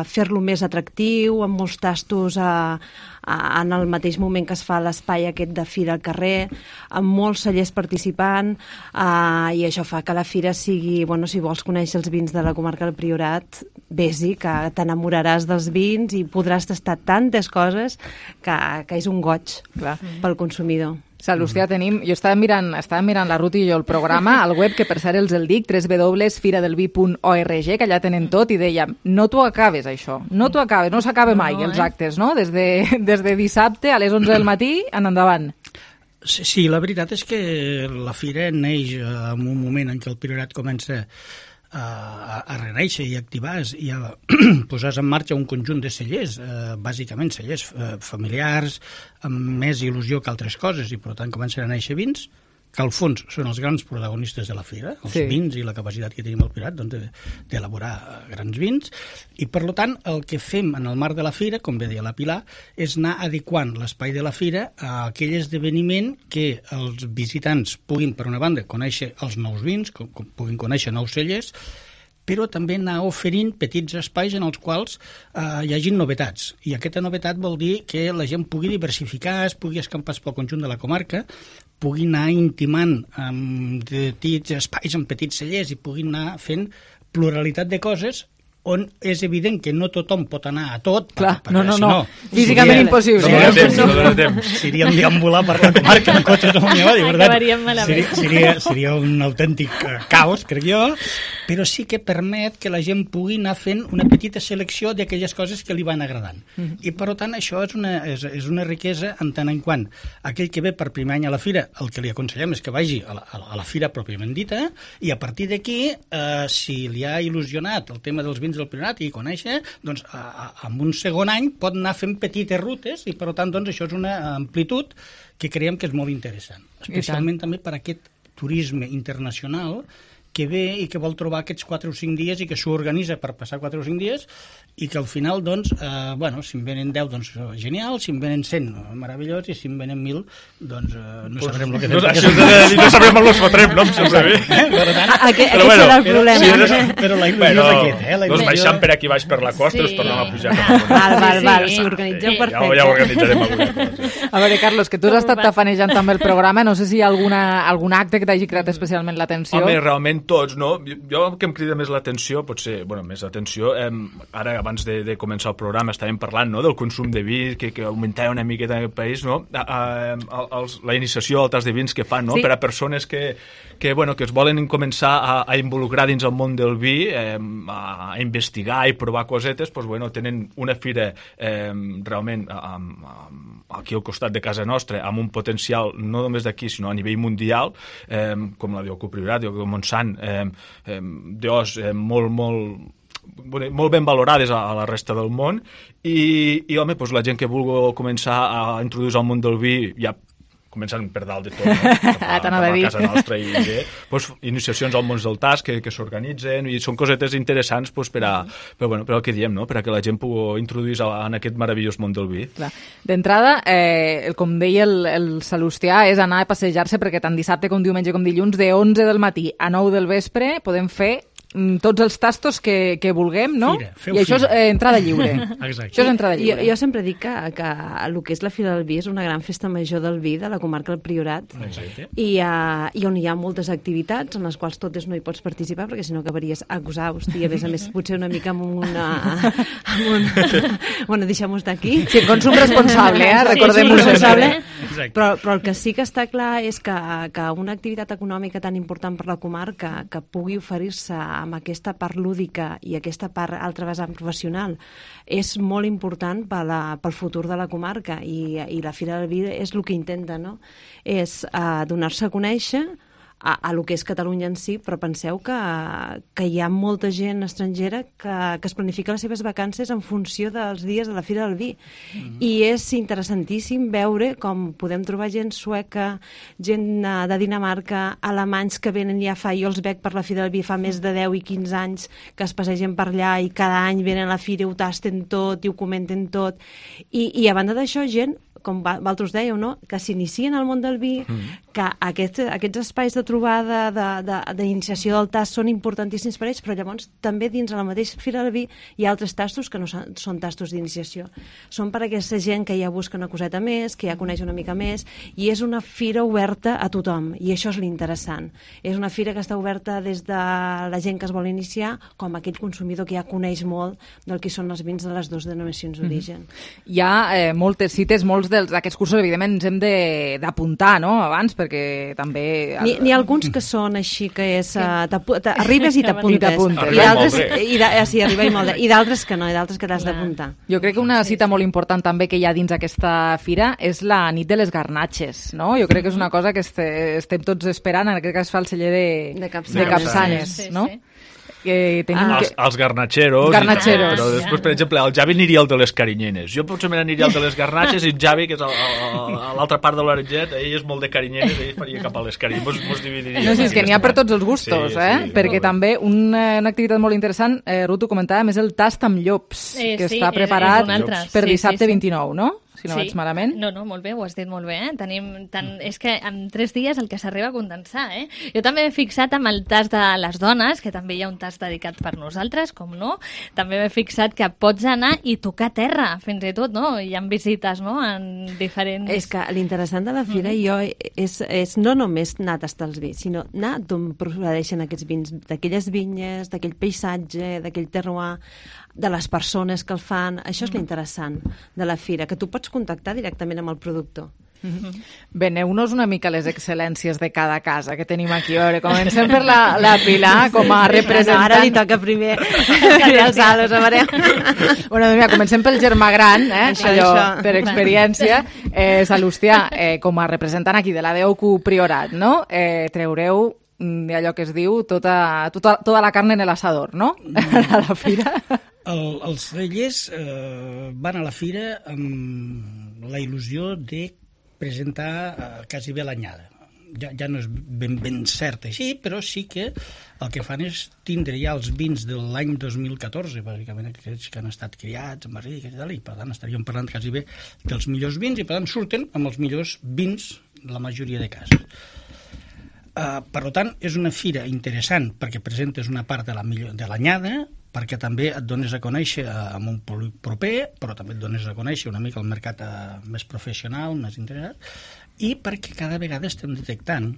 fer-lo més atractiu, amb molts tastos en el mateix moment que es fa l'espai aquest de fira al carrer, amb molts cellers participant, i això fa que la fira sigui, si vols conèixer els vins de la comarca del Priorat, vés-hi, que t'enamoraràs dels vins i podràs tastar tantes coses que és un goig pel consumidor. Salustià, jo estava mirant la Ruth i jo el programa, al web, que per cert els el dic, www.firadelvi.org, que allà tenen tot, i dèiem, no t'ho acabes això, no s'acaba mai els actes, no? Des de dissabte a les 11 del matí en endavant. Sí, la veritat és que la fira neix en un moment en què el Priorat comença a reneixer i activar i a posar en marxa un conjunt de cellers, bàsicament cellers familiars, amb més il·lusió que altres coses, i per tant comencen a néixer vins que al fons són els grans protagonistes de la fira, els vins i la capacitat que tenim al Priorat d'elaborar grans vins, i per tant el que fem en el marc de la fira, com bé deia la Pilar, és anar adequant l'espai de la fira a aquell esdeveniment que els visitants puguin, per una banda, conèixer els nous vins, puguin conèixer nous cellers, però també anar oferint petits espais en els quals hi hagi novetats. I aquesta novetat vol dir que la gent pugui diversificar, es pugui escampar pel conjunt de la comarca, pugui anar intimant amb petits espais, amb petits cellers, i pugui anar fent pluralitat de coses on és evident que no tothom pot anar a tot. Clar, no. Físicament impossible. No dona temps. Seríem deambular per la comarca en cotxes amb mi, de veritat. Seria un autèntic caos, crec jo, però sí que permet que la gent pugui anar fent una petita selecció d'aquelles coses que li van agradant. I, per tant, això és una riquesa en tant en quant aquell que ve per primer any a la fira, el que li aconsellem és que vagi a la fira pròpiament dita, i a partir d'aquí, si li ha il·lusionat el tema dels vins del Priorat i conèixer, doncs en un segon any pot anar fent petites rutes i per tant doncs això és una amplitud que creiem que és molt interessant, especialment també per aquest turisme internacional que ve i que vol trobar aquests 4 o 5 dies i que s'ho organitza per passar 4 o 5 dies i que al final, doncs, si en venen 10, doncs genial, si en venen 100, meravellós, i si en venen 1.000, doncs no sabrem el que fem. No sabrem on els fotrem, no? Aquest serà el problema. Però la il·lusió és aquest, Doncs baixant per aquí baix per la costa i us tornem a pujar. Val, s'ho organitzeu perfecte. Ja ho organitzarem alguna cosa. A veure, Carlos, que tu has estat tafanejant també el programa, no sé si hi ha algun acte que t'hagi cridat especialment l'atenció. Home, realment tots, no? Jo el que em crida més l'atenció, potser, més l'atenció, ara abans de començar el programa estàvem parlant, no?, del consum de vi, que augmentava una miqueta en el país, no?, la iniciació al tas de vins que fan, no?, per a persones que es volen començar a involucrar dins el món del vi, a investigar i provar cosetes, doncs, tenen una fira realment aquí al costat de casa nostra, amb un potencial no només d'aquí, sinó a nivell mundial, com la d'Oco Priorat, d'Oco Montsant, d'os molt ben valorades a la resta del món i home, doncs la gent que vulgui començar a introduir al món del vi, ja començant per dalt de tot, per la casa nostra i bé, doncs, iniciacions al món del tas que s'organitzen i són cosetes interessants per al que diem, no?, per a que la gent pugui introduir en aquest meravellós món del vi. D'entrada, com deia el Salustià, és anar a passejar-se perquè tant dissabte com diumenge com dilluns de 11 del matí a 9 del vespre podem fer tots els tastos que vulguem, no? I això és entrada lliure. Exacte. Això és entrada lliure. Jo sempre dic que el que és la Fira del Vi és una gran festa major del vi de la comarca del Priorat i on hi ha moltes activitats en les quals totes no hi pots participar perquè si no acabaries exhaust i a més potser una mica amb una... Bueno, deixem-ho estar aquí. Sí, consum responsable, recordem-ho sempre. Però el que sí que està clar és que una activitat econòmica tan important per la comarca que pugui oferir-se amb aquesta part lúdica i aquesta part altra vessant professional és molt important pel futur de la comarca i la Fira del Vi és el que intenta, no? És donar-se a conèixer a lo que és Catalunya en si, però penseu que hi ha molta gent estrangera que es planifica les seves vacances en funció dels dies de la Fira del Vi. I és interessantíssim veure com podem trobar gent sueca, gent de Dinamarca, alemanys que venen ja jo els veig per la Fira del Vi fa més de 10 i 15 anys, que es passegen per allà i cada any venen a la fira i ho tasten tot i ho comenten tot. I a banda d'això, gent com vosaltres dèieu, no?, que s'inicien al món del vi, que aquests espais de trobada, d'iniciació del tast són importantíssims per ells, però llavors també dins de la mateixa Fira del Vi hi ha altres tastos que no són tastos d'iniciació. Són per a aquesta gent que ja busca una coseta més, que ja coneix una mica més, i és una fira oberta a tothom, i això és l'interessant. És una fira que està oberta des de la gent que es vol iniciar com aquell consumidor que ja coneix molt del que són els vins de les dues denominacions d'origen. Hi ha moltes cites, molts d'aquests cursos, evidentment, ens hem d'apuntar, no?, abans, perquè també... N'hi ha alguns que són així, que és... Arribes i t'apuntes. Sí, arriba i molt. I d'altres que no, i d'altres que t'has d'apuntar. Jo crec que una cita molt important també que hi ha dins aquesta fira és la nit de les garnatxes, no? Jo crec que és una cosa que estem tots esperant, en aquest cas fa el celler de Capçanes, no? Els garnatxeros, però després, per exemple, el Javi aniria al de les carinyenes. Jo potser me n'aniria al de les garnatxes i el Javi, que és a l'altra part de l'Aretget, ell és molt de carinyenes, ell faria cap a les carinyenes, mos dividiria. No, sí, és que n'hi ha per tots els gustos, perquè també una activitat molt interessant, Ruth ho comentàvem, és el tast amb llops, que està preparat per dissabte 29, no? si no vaig malament. No, molt bé, ho has dit molt bé. És que en 3 dies el que s'arriba a condensar. Jo també m'he fixat amb el tast de les dones, que també hi ha un tast dedicat per nosaltres, com no. També m'he fixat que pots anar i tocar terra, fins i tot, no? Hi ha visites, no?, en diferents... És que l'interessant de la fira és no només anar a tastar els vins, sinó anar d'on procedeixen aquests vins, d'aquelles vinyes, d'aquell paisatge, d'aquell terroir, de les persones que el fan. Això és l'interessant de la fira, que tu pots contactar directament amb el productor. Bé, aneu-nos una mica les excel·lències de cada casa que tenim aquí. A veure, comencem per la Pilar com a representant... No, ara li toca primer els halos, a veure. Bueno, doncs mira, comencem pel germà gran, allò, per experiència. Salustià, com a representant aquí de la DOQ Priorat, no? Treureu allò que es diu tota la carn en el asador, no? A la fira. Els cellers van a la fira amb la il·lusió de presentar quasi bé l'anyada. Ja no és ben cert així, però sí que el que fan és tindre ja els vins de l'any 2014, bàsicament aquells que han estat criats en barriques i tal, i per tant estaríem parlant quasi bé dels millors vins, i per tant surten amb els millors vins de la majoria de casos. Per tant, és una fira interessant perquè presentes una part de l'anyada, perquè també et dones a conèixer amb un públic proper, però també et dones a conèixer una mica el mercat més professional, més interessat, i perquè cada vegada estem detectant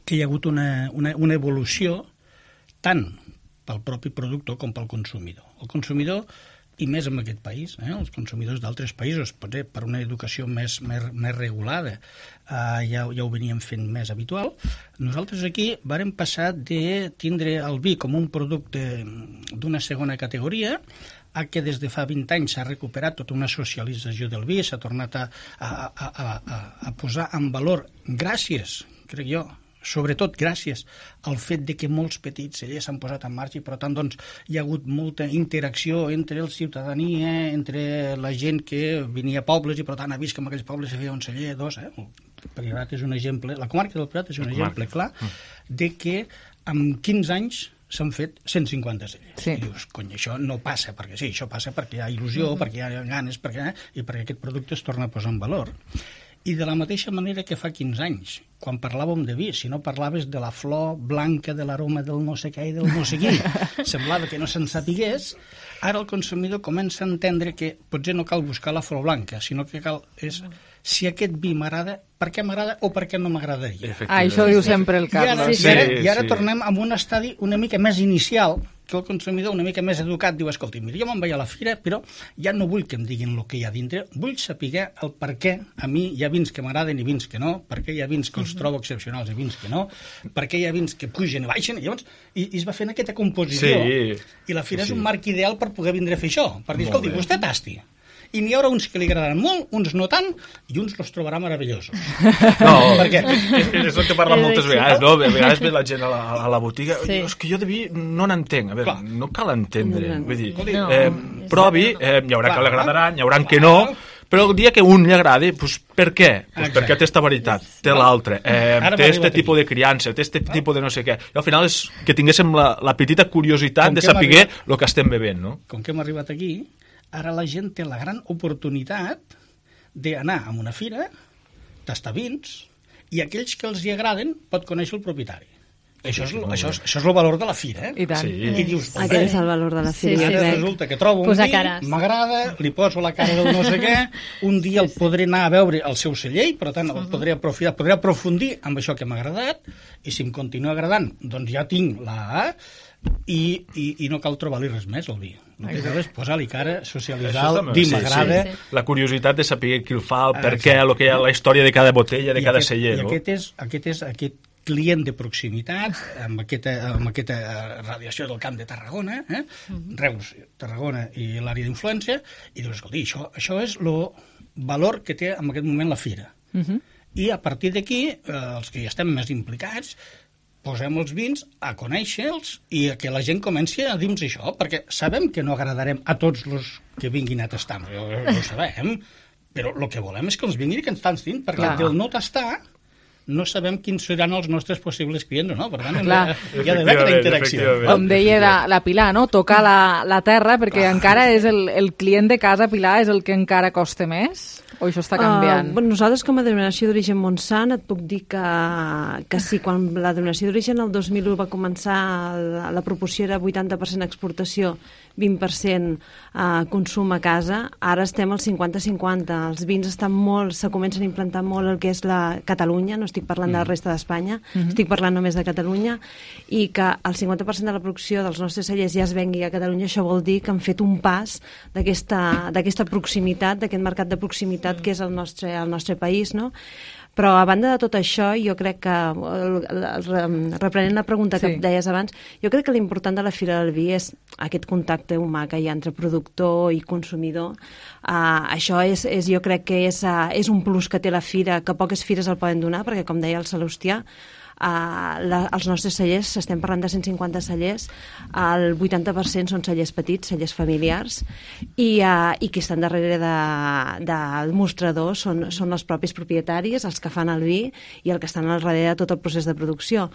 que hi ha hagut una evolució tant pel propi productor com pel consumidor. El consumidor, i més en aquest país, els consumidors d'altres països, potser per una educació més regulada, ja ho veníem fent més habitual. Nosaltres aquí vàrem passar de tindre el vi com un producte d'una segona categoria a que des de fa 20 anys s'ha recuperat tota una socialització del vi, s'ha tornat a posar en valor gràcies, crec jo, sobretot gràcies al fet de que molts petits cellers s'han posat en marxa i per tant doncs, hi ha hagut molta interacció entre la ciutadania, entre la gent que venia a pobles i per tant ha vist que en aquells pobles hi havia un celler, dos. El Priorat és un exemple, la comarca del Priorat és un exemple clar de que en 15 anys s'han fet 150 cellers. I dius, cony, això no passa perquè sí, això passa perquè hi ha il·lusió, perquè hi ha ganes, i perquè aquest producte es torna a posar en valor. I de la mateixa manera que fa 15 anys, quan parlàvem de vi, si no parlaves de la flor blanca, de l'aroma del no sé què i del no sé qui, semblava que no se'n sapigués, ara el consumidor comença a entendre que potser no cal buscar la flor blanca, sinó que cal és si aquest vi m'agrada, per què m'agrada o per què no m'agradaria. Això diu sempre el Carlos. I ara tornem a un estadi una mica més inicial, que el consumidor una mica més educat diu, escolta, mira, jo me'n vaig a la fira, però ja no vull que em diguin el que hi ha dintre, vull saber el per què a mi hi ha vins que m'agraden i vins que no, per què hi ha vins que els trobo excepcionals i vins que no, per què hi ha vins que pugen i baixen, i llavors es va fent aquesta composició. I la fira és un marc ideal per poder vindre a fer això, per dir, escolta, vostè tasti. I n'hi haurà uns que li agradaran molt, uns no tant, i uns els trobarà meravellosos. No, perquè és el que parlen moltes vegades, no? A vegades ve la gent a la botiga i dius que jo de vi no n'entenc. A veure, no cal entendre. Vull dir, provi, hi haurà que l'agradaran, hi haurà que no, però el dia que un li agradi, per què? Perquè té esta varietat, té l'altre, té este tipus de criança, té este tipus de no sé què. I al final és que tinguéssim la petita curiositat de saber el que estem bevent, no? Com que hem arribat aquí, ara la gent té la gran oportunitat d'anar a una fira, tastar vins, i aquells que els hi agraden pot conèixer el propietari. Això és el valor de la fira, I tant. I dius, aquest és el valor de la fira. Resulta que trobo un vi, m'agrada, li poso la cara del no sé què, un dia el podré anar a veure al seu celler, per tant el podré aprofitar, podré aprofundir amb això que m'ha agradat, i si em continua agradant, doncs ja tinc la A, i no cal trobar-li res més al vi. No té res, posar-li cara, socialitzar-lo, dir m'agrada. La curiositat de saber qui el fa, el per què, la història de cada botella, de cada celler. I aquest és aquest client de proximitat, amb aquesta radiació del Camp de Tarragona, Reus, Tarragona i l'àrea d'influència, i dius, escolta, això és el valor que té en aquest moment la fira. I a partir d'aquí, els que ja estem més implicats, posem els vins a conèixer-los i que la gent comenci a dir-nos això, perquè sabem que no agradarem a tots els que vinguin a tastar, ho sabem, però el que volem és que els vinguin i que ens tastin, perquè del no tastar no sabem quins seran els nostres possibles clients, no? Per tant, hi ha d'haver aquesta interacció. Com deia la Pilar, no? Tocar la terra, perquè encara és el client de casa, Pilar, és el que encara costa més? O això està canviant? Nosaltres, com a denominació d'origen Montsant, et puc dir que sí, quan la denominació d'origen el 2001 va començar, la proporció era 80% exportació, 20% consum a casa. Ara estem al 50-50. Els vins se comencen a implantar molt el que és la Catalunya, no estic parlant de la resta d'Espanya, estic parlant només de Catalunya, i que el 50% de la producció dels nostres cellers ja es vengui a Catalunya. Això vol dir que han fet un pas d'aquesta proximitat, d'aquest mercat de proximitat que és el nostre país, no? Però a banda de tot això, jo crec que, reprenent la pregunta que deies abans, jo crec que l'important de la Fira del Vi és aquest contacte humà que hi ha entre productor i consumidor. Això jo crec que és un plus que té la Fira, que poques fires el poden donar, perquè, com deia el Salustià, els nostres cellers, estem parlant de 150 cellers, el 80% són cellers petits, cellers familiars, i qui estan darrere del mostrador són els propis propietaris, els que fan el vi i el que estan al darrere de tot el procés de producció.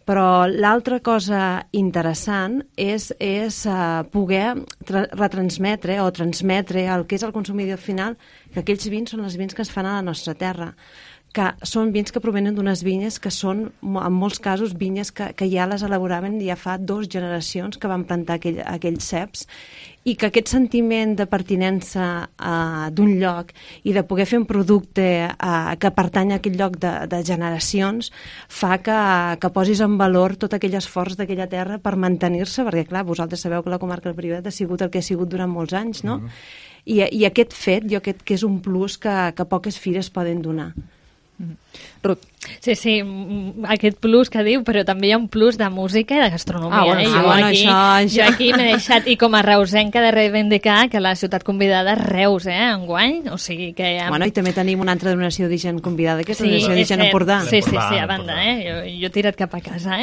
Però l'altra cosa interessant és poder retransmetre o transmetre el que és el consumidor final, que aquells vins són els vins que es fan a la nostra terra, que són vins que provenen d'unes vinyes que són, en molts casos, vinyes que ja les elaboraven ja fa 2 generacions que van plantar aquells ceps, i que aquest sentiment de pertinença d'un lloc i de poder fer un producte que pertany a aquell lloc de generacions fa que posis en valor tot aquell esforç d'aquella terra per mantenir-se, perquè, clar, vosaltres sabeu que la comarca del Priorat ha sigut el que ha sigut durant molts anys, no? I aquest fet, jo crec que és un plus que poques fires poden donar. Ruth. Sí, aquest plus que diu, però també hi ha un plus de música i de gastronomia. Jo aquí m'he deixat, i com a reusenca, de reivindicar que la ciutat convidada és Reus, enguany, o sigui que... Bueno, i també tenim una altra denominació d'origen convidada, que és la denominació d'origen Empordà. Sí, a banda, jo he tirat cap a casa,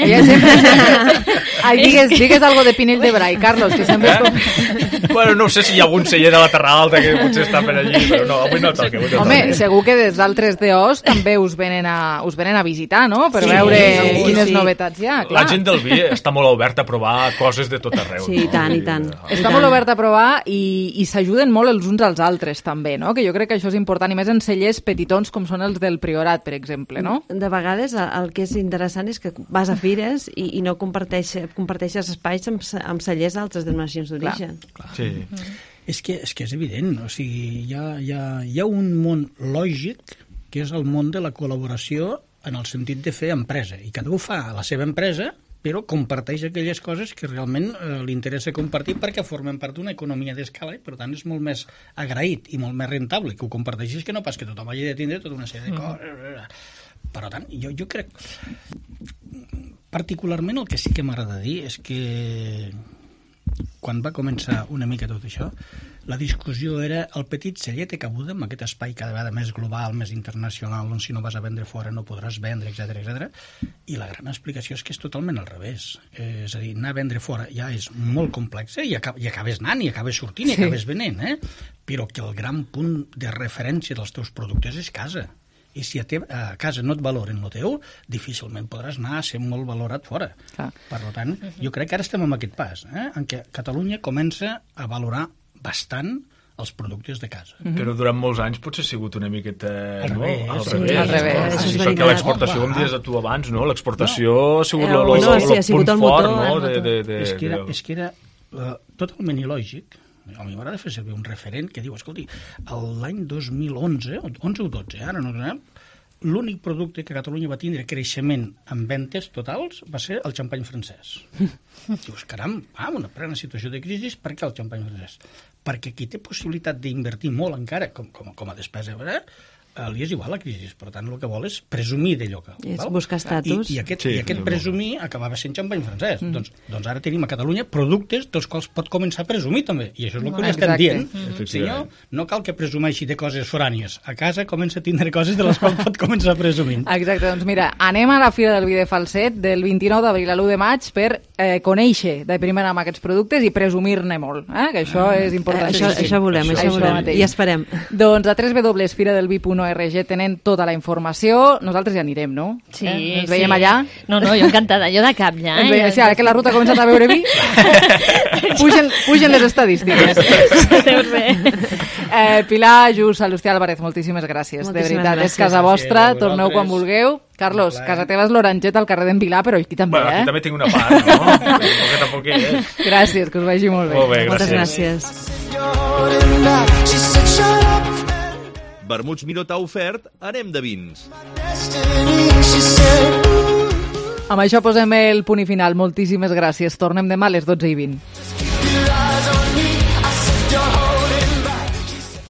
Digues algo de Pinell de Brai, Carlos, que sempre és com... Bueno, no sé si hi ha algun celler de la Terra Alta que potser està per allí, però no, avui no toca. Home, segur que des d'altres DOs també us venen a visitar, no? Per veure quines novetats hi ha. La gent del vi està molt oberta a provar coses de tot arreu. Sí, i tant, i tant. Està molt oberta a provar i s'ajuden molt els uns als altres, també, no? Que jo crec que això és important, i més en cellers petitons com són els del Priorat, per exemple, no? De vegades el que és interessant és que vas a fires i no comparteixes espais amb cellers d'altres denominacions d'origen. Sí. És que és evident, o sigui, hi ha un món lògic que és el món de la col·laboració en el sentit de fer empresa, i cada un fa la seva empresa, però comparteix aquelles coses que realment li interessa compartir perquè formen part d'una economia d'escala i per tant és molt més agraït i molt més rentable que ho comparteixis que no pas que tothom hagi de tindre tota una sèrie de coses. Per tant, jo crec particularment el que sí que m'agrada dir és que quan va començar una mica tot això, la discussió era el petit celler té cabuda amb aquest espai cada vegada més global, més internacional, on si no vas a vendre fora no podràs vendre, etc. I la gran explicació és que és totalment al revés. És a dir, anar a vendre fora ja és molt complex, i acabes anant, i acabes sortint, i acabes venent, però que el gran punt de referència dels teus productes és casa. I si a casa no et valoren el teu, difícilment podràs anar a ser molt valorat fora. Per tant, jo crec que ara estem en aquest pas, en què Catalunya comença a valorar bastant els productes de casa. Però durant molts anys potser ha sigut una miqueta al revés. Perquè l'exportació, com dius tu abans, l'exportació ha sigut el punt fort. És que era totalment il·lògic. A mi m'agrada fer servir un referent que diu, escolti, l'any 2011, 11 o 12, ara no sabem, l'únic producte que Catalunya va tindre creixement en ventes totals va ser el xampany francès. Dius, caram, una plena situació de crisi, per què el xampany francès? Perquè qui té possibilitat d'invertir molt encara, com a despesa, li és igual la crisi, per tant el que vol és presumir d'allò que... És buscar estatus. I aquest presumir acabava sent xampany francès. Doncs ara tenim a Catalunya productes dels quals pot començar a presumir també, i això és el que estem dient. Senyor, no cal que presumeixi de coses forànies. A casa comença a tindre coses de les quals pot començar a presumir. Exacte, doncs mira, anem a la Fira del Vi de Falset del 29 d'abril a l'1 de maig per conèixer de primera mà aquests productes i presumir-ne molt, que això és important. Això volem, i esperem. Doncs a www.firadelvi.org tenen tota la informació. Nosaltres ja anirem, no? Sí, Ens veiem allà? No, jo encantada, jo de cap ja. Sí, ara que la ruta ha començat a veure vi, pugen les estadístiques. Veus bé. Pilar, Just, Salustià, Álvarez, moltíssimes gràcies. De veritat, és casa vostra, torneu quan vulgueu. Carlos, casa teva és l'Orangeta al carrer d'en Pilar, però aquí també, aquí també tinc una part, no? Perquè tampoc és. Gràcies, que us vagi molt bé. Molt bé, gràcies. Moltes gràcies. Vermuts Miró t'ha ofert Anem de vins. Amb això posem el punt i final. Moltíssimes gràcies. Tornem demà a les 12:20.